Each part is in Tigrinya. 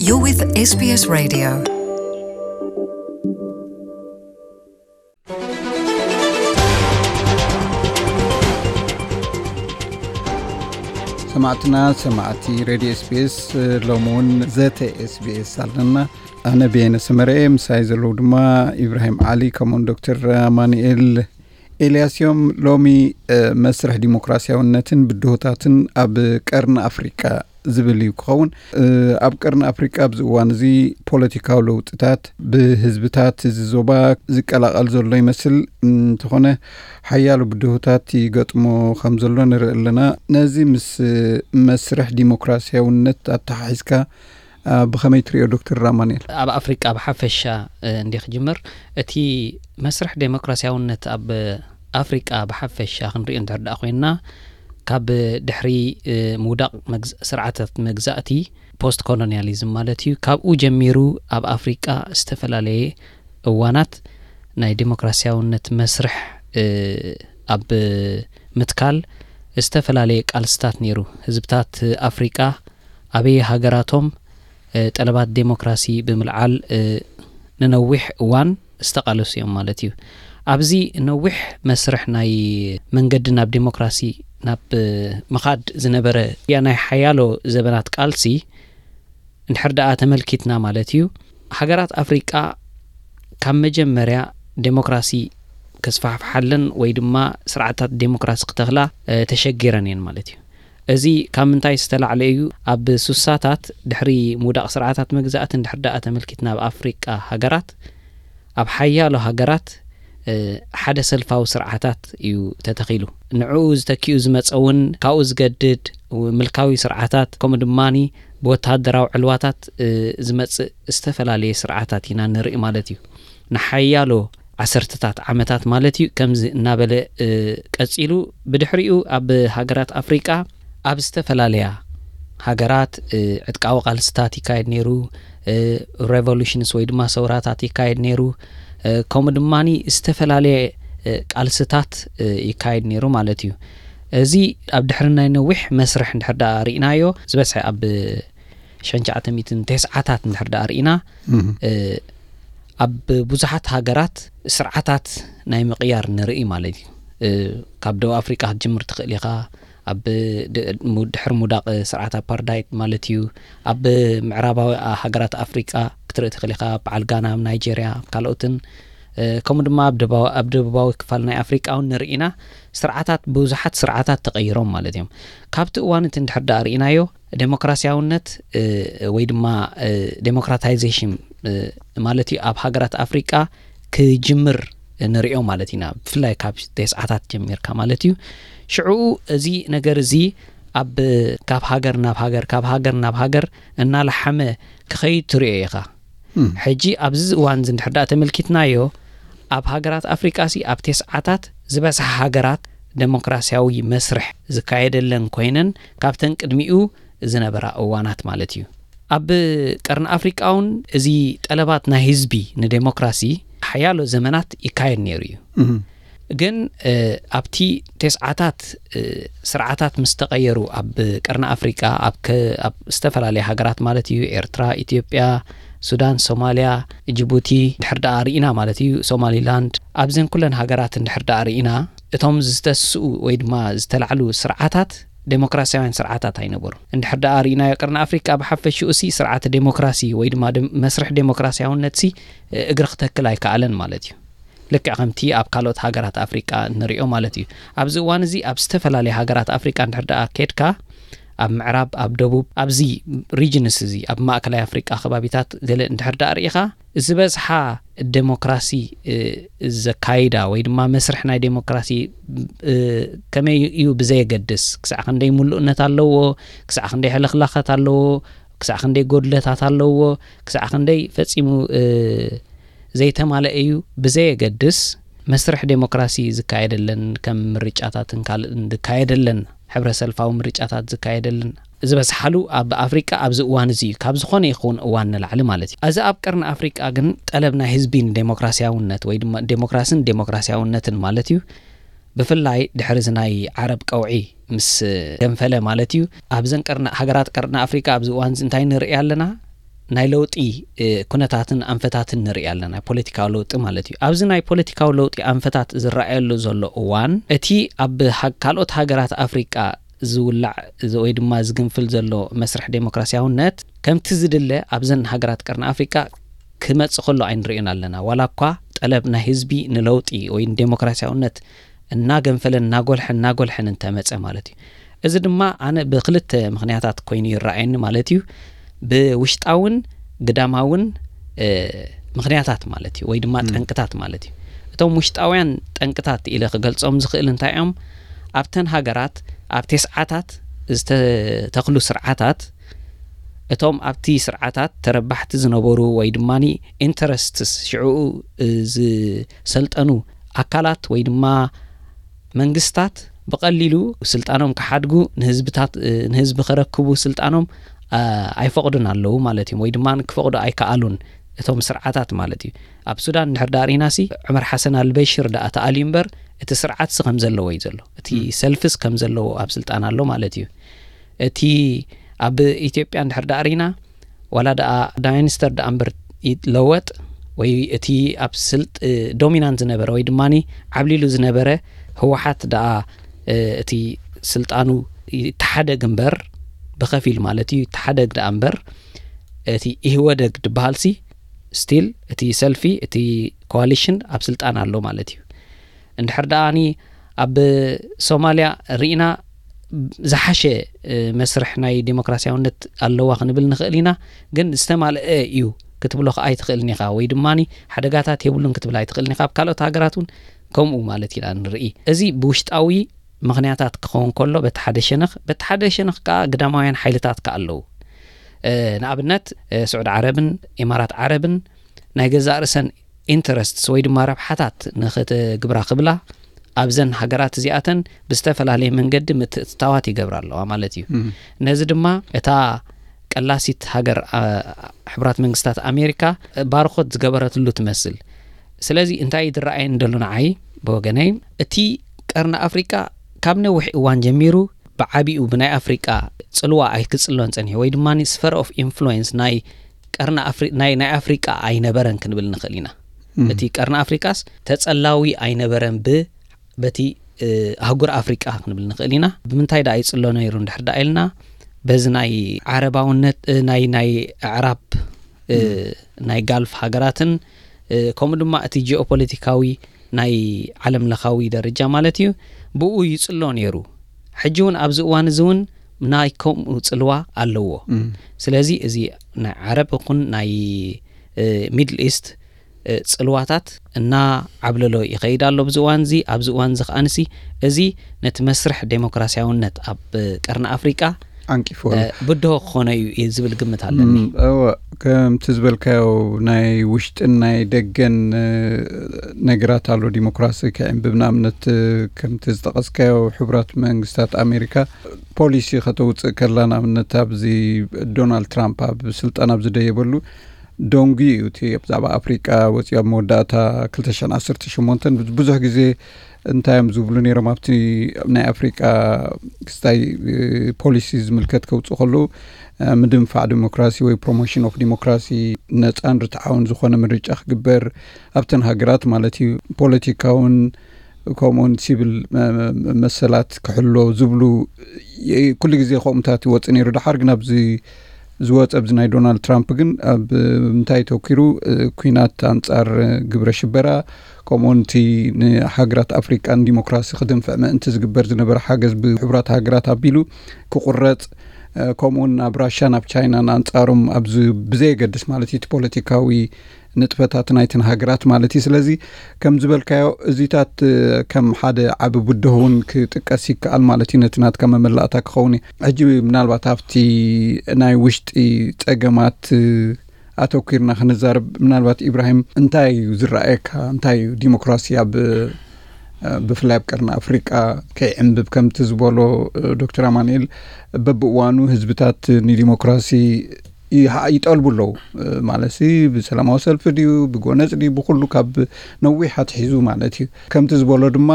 You're with S B S Radio. ሰማዕትና ሰማዕቲ ሬድዮ ኤስቢኤስ፣ ሎሚ እውን ዘተ ኤስቢኤስ ኣለና። ኣነ ብየነ ሰመረ እየ፣ ምሳይ ዘለዉ ድማ ኢብራሂም ዓሊ ከምኡውን ዶክተር ኣማኑኤል ኤልያስ እዮም። ሎሚ መስርሕ ዲሞክራሲያውነትን ብድሆታትን ኣብ ቀርኒ ኣፍሪቃ ዝብል እዩ ክኸውን። ኣብ ቀርኒ ኣፍሪቃ ኣብዚ እዋን እዚ ፖለቲካዊ ለውጥታት ብህዝብታት እዚ ዞባ ዝቀላቐል ዘሎ ይመስል። እንተኾነ ሓያሎ ብድሆታት ይገጥሞ ከም ዘሎ ንርኢ ኣለና። ነዚ ምስ መስርሕ ዲሞክራሲያውነት ኣተሓሒዝካ ብኸመይ ትሪኦ ዶክተር ኣማኑኤል? ኣብ ኣፍሪቃ ብሓፈሻ እንዲ ክጅምር፣ እቲ መስርሕ ዴሞክራሲያውነት ኣብ ኣፍሪቃ ብሓፈሻ ክንሪኦ እንድሕር ደኣ ኮይንና፣ ካብ ድሕሪ ምውዳቕ መግዝ- ስርዓታት መግዛእቲ፣ ፖስት ኮሎኒያሊዝም ማለት እዩ፣ ካብኡ ጀሚሩ ኣብ ኣፍሪቃ ዝተፈላለየ እዋናት ናይ ዴሞክራሲያውነት መስርሕ ኣብ ምትካል ዝተፈላለየ ቃልስታት ነይሩ። ህዝብታት ኣፍሪቃ ኣበየ ሃገራቶም ጠለባት ዴሞክራሲ ብምልዓል ንነዊሕ እዋን ዝተቓለሱ እዮም ማለት እዩ። ኣብዚ ነዊሕ መስርሕ ናይ መንገዲ ናብ ዴሞክራሲ ናብ ምኻድ ዝነበረ ናይ ሓያሎ ዘበናት ቃልሲ እንድሕር ደኣ ተመልኪትና ማለት እዩ፣ ሃገራት ኣፍሪቃ ካብ መጀመርያ ዴሞክራሲ ከስፋሕፍሓለን ወይ ድማ ስርዓታት ዴሞክራሲ ክተኽላ ተሸጊረን እየን ማለት እዩ። እዚ ካብ ምንታይ ዝተላዕለ እዩ? ኣብ ሱሳታት ድሕሪ ምውዳቕ ስርዓታት መግዛእቲ እንድሕር ደኣ ተመልኪትና ኣብ ኣፍሪቃ ሃገራት፣ ኣብ ሓያሎ ሃገራት ሓደ ሰልፋዊ ስርዓታት እዩ ተተኺሉ። ንዕኡ ዝተኪኡ ዝመፀ እውን ካብኡ ዝገድድ ምልካዊ ስርዓታት ከምኡ ድማ ብወታደራዊ ዕልዋታት ዝመፅእ ዝተፈላለየ ስርዓታት ኢና ንርኢ ማለት እዩ። ንሓያሎ ዓሰርተታት ዓመታት ማለት እዩ ከምዚ እናበለ ቀፂሉ። ብድሕሪኡ ኣብ ሃገራት ኣፍሪቃ ኣብ ዝተፈላለያ ሃገራት ዕጥቃዊ ቃልስታት ይካየድ ነይሩ። ሬቮሉሽንስ ወይ ድማ ሰውራታት ይካየድ ነይሩ። ከምኡ ድማ ዝተፈላለየ ቃልስታት ይካየድ ነይሩ ማለት እዩ። እዚ ኣብ ድሕሪ ናይ ነዊሕ መስርሕ እንድሕር ደኣ ርኢናዮ፣ ዝበዝሐ ኣብ ሸንቻዓተሚትን ተስዓታት እንድሕር ደኣ ርኢና፣ ኣብ ብዙሓት ሃገራት ስርዓታት ናይ ምቕያር ንርኢ ማለት እዩ። ካብ ደቡብ ኣፍሪቃ ክትጅምር ትኽእል ኢኻ። ኣብ ድሕሪ ምውዳቕ ስርዓት ኣፓርዳይት ማለት እዩ። ኣብ ምዕራባዊ ሃገራት ኣፍሪቃ ክትርኢ ትኽእል ኢኻ። በዓል ጋና ኣብ ናይጀርያ፣ ኣብ ካልኦትን ከምኡ ድማ ኣብ ደቡባዊ ክፋል ናይ ኣፍሪቃ እውን ንርኢ ኢና። ስርዓታት፣ ብዙሓት ስርዓታት ተቐይሮም ማለት እዮም። ካብቲ እዋን እቲ እንድሕር ደኣ ርኢናዮ፣ ዴሞክራሲያውነት ወይ ድማ ዴሞክራታይዜሽን ማለት እዩ ኣብ ሃገራት ኣፍሪቃ ክጅምር ንሪኦ ማለት ኢና። ብፍላይ ካብ ተስዓታት ጀሚርካ ማለት እዩ። ሽዑ እዚ ነገር እዚ ኣብ ካብ ሃገር ናብ ሃገር፣ ካብ ሃገር ናብ ሃገር እናለሓመ ክኸይድ ትሪኦ ኢኻ። ሕጂ ኣብዚ እዋን እዚ እንድሕር ደኣ ተመልኪትናዮ፣ ኣብ ሃገራት ኣፍሪቃ ሲ ኣብ ተስዓታት ዝበዝሓ ሃገራት ዴሞክራሲያዊ መስርሕ ዝካየደለን ኮይነን፣ ካብተን ቅድሚኡ ዝነበራ እዋናት ማለት እዩ። ኣብ ቀርኒ ኣፍሪቃ እውን እዚ ጠለባት ናይ ህዝቢ ንዴሞክራሲ ሓያሎ ዘመናት ይካየድ ነይሩ እዩ። ግን ኣብቲ ተስዓታት ስርዓታት ምስ ተቐየሩ ኣብ ቀርኒ ኣፍሪቃ፣ ኣብ ዝተፈላለያ ሃገራት ማለት እዩ፣ ኤርትራ፣ ኢትዮጵያ፣ ሱዳን፣ ሶማልያ፣ ጅቡቲ፣ ድሕር ደኣ ርኢና ማለት እዩ፣ ሶማሊላንድ፣ ኣብዘን ኩለን ሃገራት እንድሕር ደኣ ርኢና፣ እቶም ዝተስኡ ወይ ድማ ዝተላዕሉ ስርዓታት ዴሞክራሲያውያን ስርዓታት ኣይነበሩ። እንድሕር ደኣ ርኢናዮ ቀርኒ ኣፍሪቃ ብሓፈሽኡ ሲ ስርዓተ ዴሞክራሲ ወይ ድማ መስርሕ ዴሞክራሲያውነት ሲ እግሪ ክተክል ኣይከኣለን ማለት እዩ። ልክዕ ከምቲ ኣብ ካልኦት ሃገራት ኣፍሪቃ ንሪኦ ማለት እዩ። ኣብዚ እዋን እዚ ኣብ ዝተፈላለየ ሃገራት ኣፍሪቃ እንድሕር ደኣ ኬድካ፣ ኣብ ምዕራብ፣ ኣብ ደቡብ፣ ኣብዚ ሪጅንስ እዚ ኣብ ማእከላይ ኣፍሪቃ ከባቢታት ገለ እንድሕር ደኣ ርኢኻ፣ ዝበዝሓ ዴሞክራሲ ዘካይዳ ወይ ድማ መስርሕ ናይ ዴሞክራሲ ከመይ እዩ ብዘየገድስ፣ ክሳዕ ክንደይ ምሉእነት ኣለዎ፣ ክሳዕ ክንደይ ሕልኽላኻት ኣለዎ፣ ክሳዕ ክንደይ ጎድለታት ኣለዎ፣ ክሳዕ ክንደይ ፈጺሙ ዘይተማለአ እዩ ብዘየገድስ፣ መስርሕ ዴሞክራሲ ዝካየደለን፣ ከም ምርጫታትን ካልእን ዝካየደለን፣ ሕብረ ሰልፋዊ ምርጫታት ዝካየደለን ዝበዝሓሉ ኣብ ኣፍሪቃ ኣብዚ እዋን እዚ እዩ፣ ካብ ዝኾነ ይኸውን እዋን ንላዕሊ ማለት እዩ። እዚ ኣብ ቀርኒ ኣፍሪቃ ግን ጠለብ ናይ ህዝቢ ንዴሞክራሲያውነት ወይ ድማ ዴሞክራስን ዴሞክራሲያውነትን ማለት እዩ፣ ብፍላይ ድሕሪ እዚ ናይ ዓረብ ቀውዒ ምስ ገንፈለ ማለት እዩ፣ ኣብዘን ቀርኒ ሃገራት ቀርኒ ኣፍሪቃ ኣብዚ እዋን እዚ እንታይ ንርኢ ኣለና? ናይ ለውጢ ኩነታትን ኣንፈታትን ንርኢ ኣለና። ፖለቲካዊ ለውጢ ማለት እዩ። ኣብዚ ናይ ፖለቲካዊ ለውጢ ኣንፈታት ዝረኣየሉ ዘሎ እዋን፣ እቲ ኣብ ካልኦት ሃገራት ኣፍሪቃ ዝውላዕ ወይ ድማ ዝግንፍል ዘሎ መስርሕ ዴሞክራሲያውነት ከምቲ ዝድለ ኣብዘን ሃገራት ቀርኒ ኣፍሪቃ ክመጽእ ከሎ ኣይንርእዮን ኣለና። ዋላ እኳ ጠለብ ናይ ህዝቢ ንለውጢ ወይ ንዴሞክራሲያውነት እናገንፈለን እናጎልሐን እናጎልሐን እንተመጸ ማለት እዩ። እዚ ድማ ኣነ ብክልተ ምኽንያታት ኮይኑ ይረኣየኒ ማለት እዩ። ብውሽጣውን ግዳማውን ምኽንያታት ማለት እዩ፣ ወይ ድማ ጠንቅታት ማለት እዩ። እቶም ውሽጣውያን ጠንቅታት ኢለ ክገልጾም ዝኽእል እንታይ እዮም? ኣብተን ሃገራት ኣብ ተስዓታት ዝተተኽሉ ስርዓታት፣ እቶም ኣብቲ ስርዓታት ተረባሕቲ ዝነበሩ ወይ ድማ ኢንተረስትስ ሽዕኡ ዝሰልጠኑ ኣካላት ወይ ድማ መንግስታት ብቐሊሉ ስልጣኖም ክሓድጉ ንህዝብታት ንህዝቢ ከረክቡ ስልጣኖም ኣይፈቕዱን ኣለዉ ማለት እዮም፣ ወይ ድማ ክፈቕዱ ኣይከኣሉን እቶም ስርዓታት ማለት እዩ። ኣብ ሱዳን እንድሕር ዳኣ ርኢናሲ ዑመር ሓሰን ኣልበሽር ዳኣ ተኣልዩ እምበር እቲ ስርዓትሲ ከም ዘለዎ እዩ ዘሎ፣ እቲ ሰልፍስ ከም ዘለዎ ኣብ ስልጣን ኣሎ ማለት እዩ። እቲ ኣብ ኢትዮጵያ እንድሕር ዳኣ ርኢና ዋላ ዳኣ ዳይንስተር ዳኣ እምበር ይለወጥ ወይ እቲ ኣብ ስልጥ ዶሚናንት ዝነበረ ወይ ድማ ዓብሊሉ ዝነበረ ህወሓት ዳኣ እቲ ስልጣኑ ይተሓደግ እምበር ብኸፊል ማለት እዩ ይተሓደግ ዳኣ እምበር እቲ ኢህወደግ ድበሃልሲ ስቲል እቲ ሰልፊ እቲ ኮዋሊሽን ኣብ ስልጣን ኣሎ ማለት እዩ። እንድሕር ደኣኒ ኣብ ሶማልያ ርኢና ዝሓሸ መስርሕ ናይ ዴሞክራሲያውነት ኣለዋ ክንብል ንኽእል ኢና፣ ግን ዝተማልአ እዩ ክትብሎ ከዓ ኣይትኽእልን ኢኻ፣ ወይ ድማ ሓደጋታት የብሉን ክትብል ኣይትኽእልን ኢኻ። ኣብ ካልኦት ሃገራት እውን ከምኡ ማለት ኢና ንርኢ። እዚ ብውሽጣዊ ምኽንያታት ክኸውን ከሎ በቲ ሓደ ሸነኽ፣ በቲ ሓደ ሸነኽ ከዓ ግዳማውያን ሓይልታት ከዓ ኣለዉ። ንኣብነት ስዑድ ዓረብን ኢማራት ዓረብን ናይ ገዛእ ርእሰን ኢንተረስትስ ወይ ድማ ረብሓታት ንኽትግብራ ክብላ ኣብዘን ሃገራት እዚኣተን ብዝተፈላለየ መንገዲ ምትእትታዋት ይገብራ ኣለዋ ማለት እዩ። ነዚ ድማ እታ ቀላሲት ሃገር ሕቡራት መንግስታት ኣሜሪካ ባርኾት ዝገበረትሉ ትመስል። ስለዚ እንታይ ዝረኣየኒ ደሎ ንዓይ ብወገነይ እቲ ቀርኒ ኣፍሪቃ ካብ ነዊሕ እዋን ጀሚሩ ብዓቢኡ ብናይ ኣፍሪቃ ጽልዋ ኣይክጽሎን ጸኒሑ ወይ ድማ ስፈር ኦፍ ኢንፍሉዌንስ ናይ ቀርኒ ኣፍሪ ናይ ናይ ኣፍሪቃ ኣይነበረን ክንብል ንኽእል ኢና። እቲ ቀርኒ ኣፍሪቃስ ተጸላዊ ኣይነበረን ብ በቲ ኣህጉር ኣፍሪቃ ክንብል ንኽእል ኢና። ብምንታይ ደኣ ይጽሎ ነይሩ እንድሕር ደኣ ኢልና በዚ ናይ ዓረባውነት ናይ ናይ ኣዕራብ ናይ ጋልፍ ሃገራትን ከምኡ ድማ እቲ ጂኦፖለቲካዊ ናይ ዓለም ለኻዊ ደረጃ ማለት እዩ ብኡ ይጽሎ ነይሩ። ሕጂ እውን ኣብዚ እዋን እዚ እውን ናይ ከምኡ ጽልዋ ኣለዎ። ስለዚ እዚ ናይ ዓረብ ይኹን ናይ ሚድል ኢስት ጽልዋታት እና ዓብለሎ ይኸይድ ኣሎ ኣብዚ እዋን እዚ። ኣብዚ እዋን እዚ ከኣንሲ እዚ ነቲ መስርሕ ዴሞክራሲያውነት ኣብ ቀርኒ ኣፍሪቃ ዓንቂፎ ኣሎ። ብድሆ ክኾነ እዩ ዝብል ግምት ኣለኒ። እወ፣ ከምቲ ዝበልካዮ ናይ ውሽጥን ናይ ደገን ነገራት ኣሎ። ዲሞክራሲ ክዕምብብ ንኣብነት ከምቲ ዝጠቐስካዮ ሕቡራት መንግስታት ኣሜሪካ ፖሊሲ ከተውፅእ ከላ ንኣብነት ኣብዚ ዶናልድ ትራምፕ ኣብ ስልጣን ኣብ ዝደየበሉ ደንጉ እዩ እቲ ብዛዕባ ኣፍሪቃ ወፂኡ ኣብ መወዳእታ ክልተ ሽሕን ዓሰርተ ሸሞንተን ብዙሕ ግዜ እንታይ እዮም ዝብሉ ነይሮም ኣብቲ ናይ ኣፍሪቃ ክስታይ ፖሊሲ ዝምልከት ከውፅኡ ከለዉ ምድንፋዕ ዲሞክራሲ ወይ ፕሮሞሽን ኦፍ ዲሞክራሲ ነፃን ርትዓውን ዝኾነ ምርጫ ክግበር ኣብተን ሃገራት ማለት እዩ ፖለቲካውን ከምኡውን ሲቪል መሰላት ክሕሎ ዝብሉ ኩሉ ግዜ ከምኡታት ይወፅእ ነይሩ። ድሓር ግን ኣብዚ ዝወፀ ኣብዚ ናይ ዶናልድ ትራምፕ ግን ኣብ ምንታይ ተኪሩ ኩናት ኣንፃር ግብረ ሽበራ ከምኡውን እቲ ንሃገራት ኣፍሪቃ ንዲሞክራሲ ክድንፍዕ ምእንቲ ዝግበር ዝነበረ ሓገዝ ብሕቡራት ሃገራት ኣቢሉ ክቁረፅ ከምኡውን ናብ ራሻ ናብ ቻይና ንኣንፃሮም ኣብዚ ብዘየገድስ ማለት እዩ እቲ ፖለቲካዊ ንጥፈታት ናይተን ሃገራት ማለት እዩ። ስለዚ ከም ዝበልካዮ እዚታት ከም ሓደ ዓቢ ብድሆ እውን ክጥቀስ ይከኣል ማለት እዩ። ነቲ ናትካ መመላእታ ክኸውን እዩ። ሕጂ ምናልባት ኣብቲ ናይ ውሽጢ ጸገማት ኣተኲርና ክንዛረብ ምናልባት ኢብራሂም እንታይ እዩ ዝረኣየካ? እንታይ እዩ ዲሞክራሲ ኣብ ብፍላይ ኣብ ቀርኒ ኣፍሪቃ ከይዕንብብ ከምቲ ዝበሎ ዶክተር ኣማኑኤል በብእዋኑ ህዝብታት ንዲሞክራሲ ይጠልቡ ኣለዉ ማለት ብሰላማዊ ሰልፊ ድዩ ብጎነፅ ድዩ ብኩሉ ካብ ነዊሕ ኣትሒዙ ማለት እዩ። ከምቲ ዝበሎ ድማ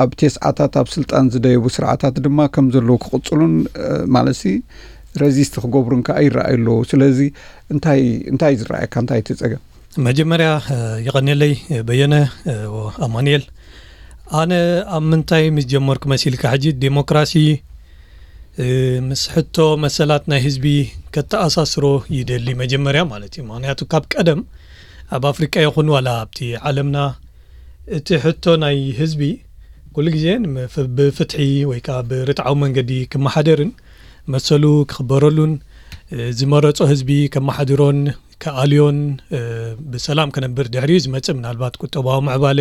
ኣብ ቴስዓታት ኣብ ስልጣን ዝደየቡ ስርዓታት ድማ ከም ዘለዉ ክቕፅሉን ማለት ረዚስት ክገብሩን ከኣ ይረኣዩ ኣለዉ። ስለዚ እንታይ እንታይ ዝረኣየካ፣ እንታይ እቲ ጸገም? መጀመርያ የቐንየለይ በየነ ኣማንኤል። ኣነ ኣብ ምንታይ ምስ ጀመርኩ መሲልካ፣ ሕጂ ዴሞክራሲ ምስ ሕቶ መሰላት ናይ ህዝቢ ከተኣሳስሮ ይደሊ መጀመርያ ማለት እዩ። ምክንያቱ ካብ ቀደም ኣብ ኣፍሪቃ ይኹን ዋላ ኣብቲ ዓለምና እቲ ሕቶ ናይ ህዝቢ ኩሉ ግዜ ብፍትሒ ወይ ከዓ ብርትዓዊ መንገዲ ክመሓደርን መሰሉ ክኽበረሉን ዝመረጾ ህዝቢ ከመሓድሮን ክኣልዮን ብሰላም ክነብር ድሕሪኡ ዝመጽእ ምናልባት ቁጠባዊ ምዕባለ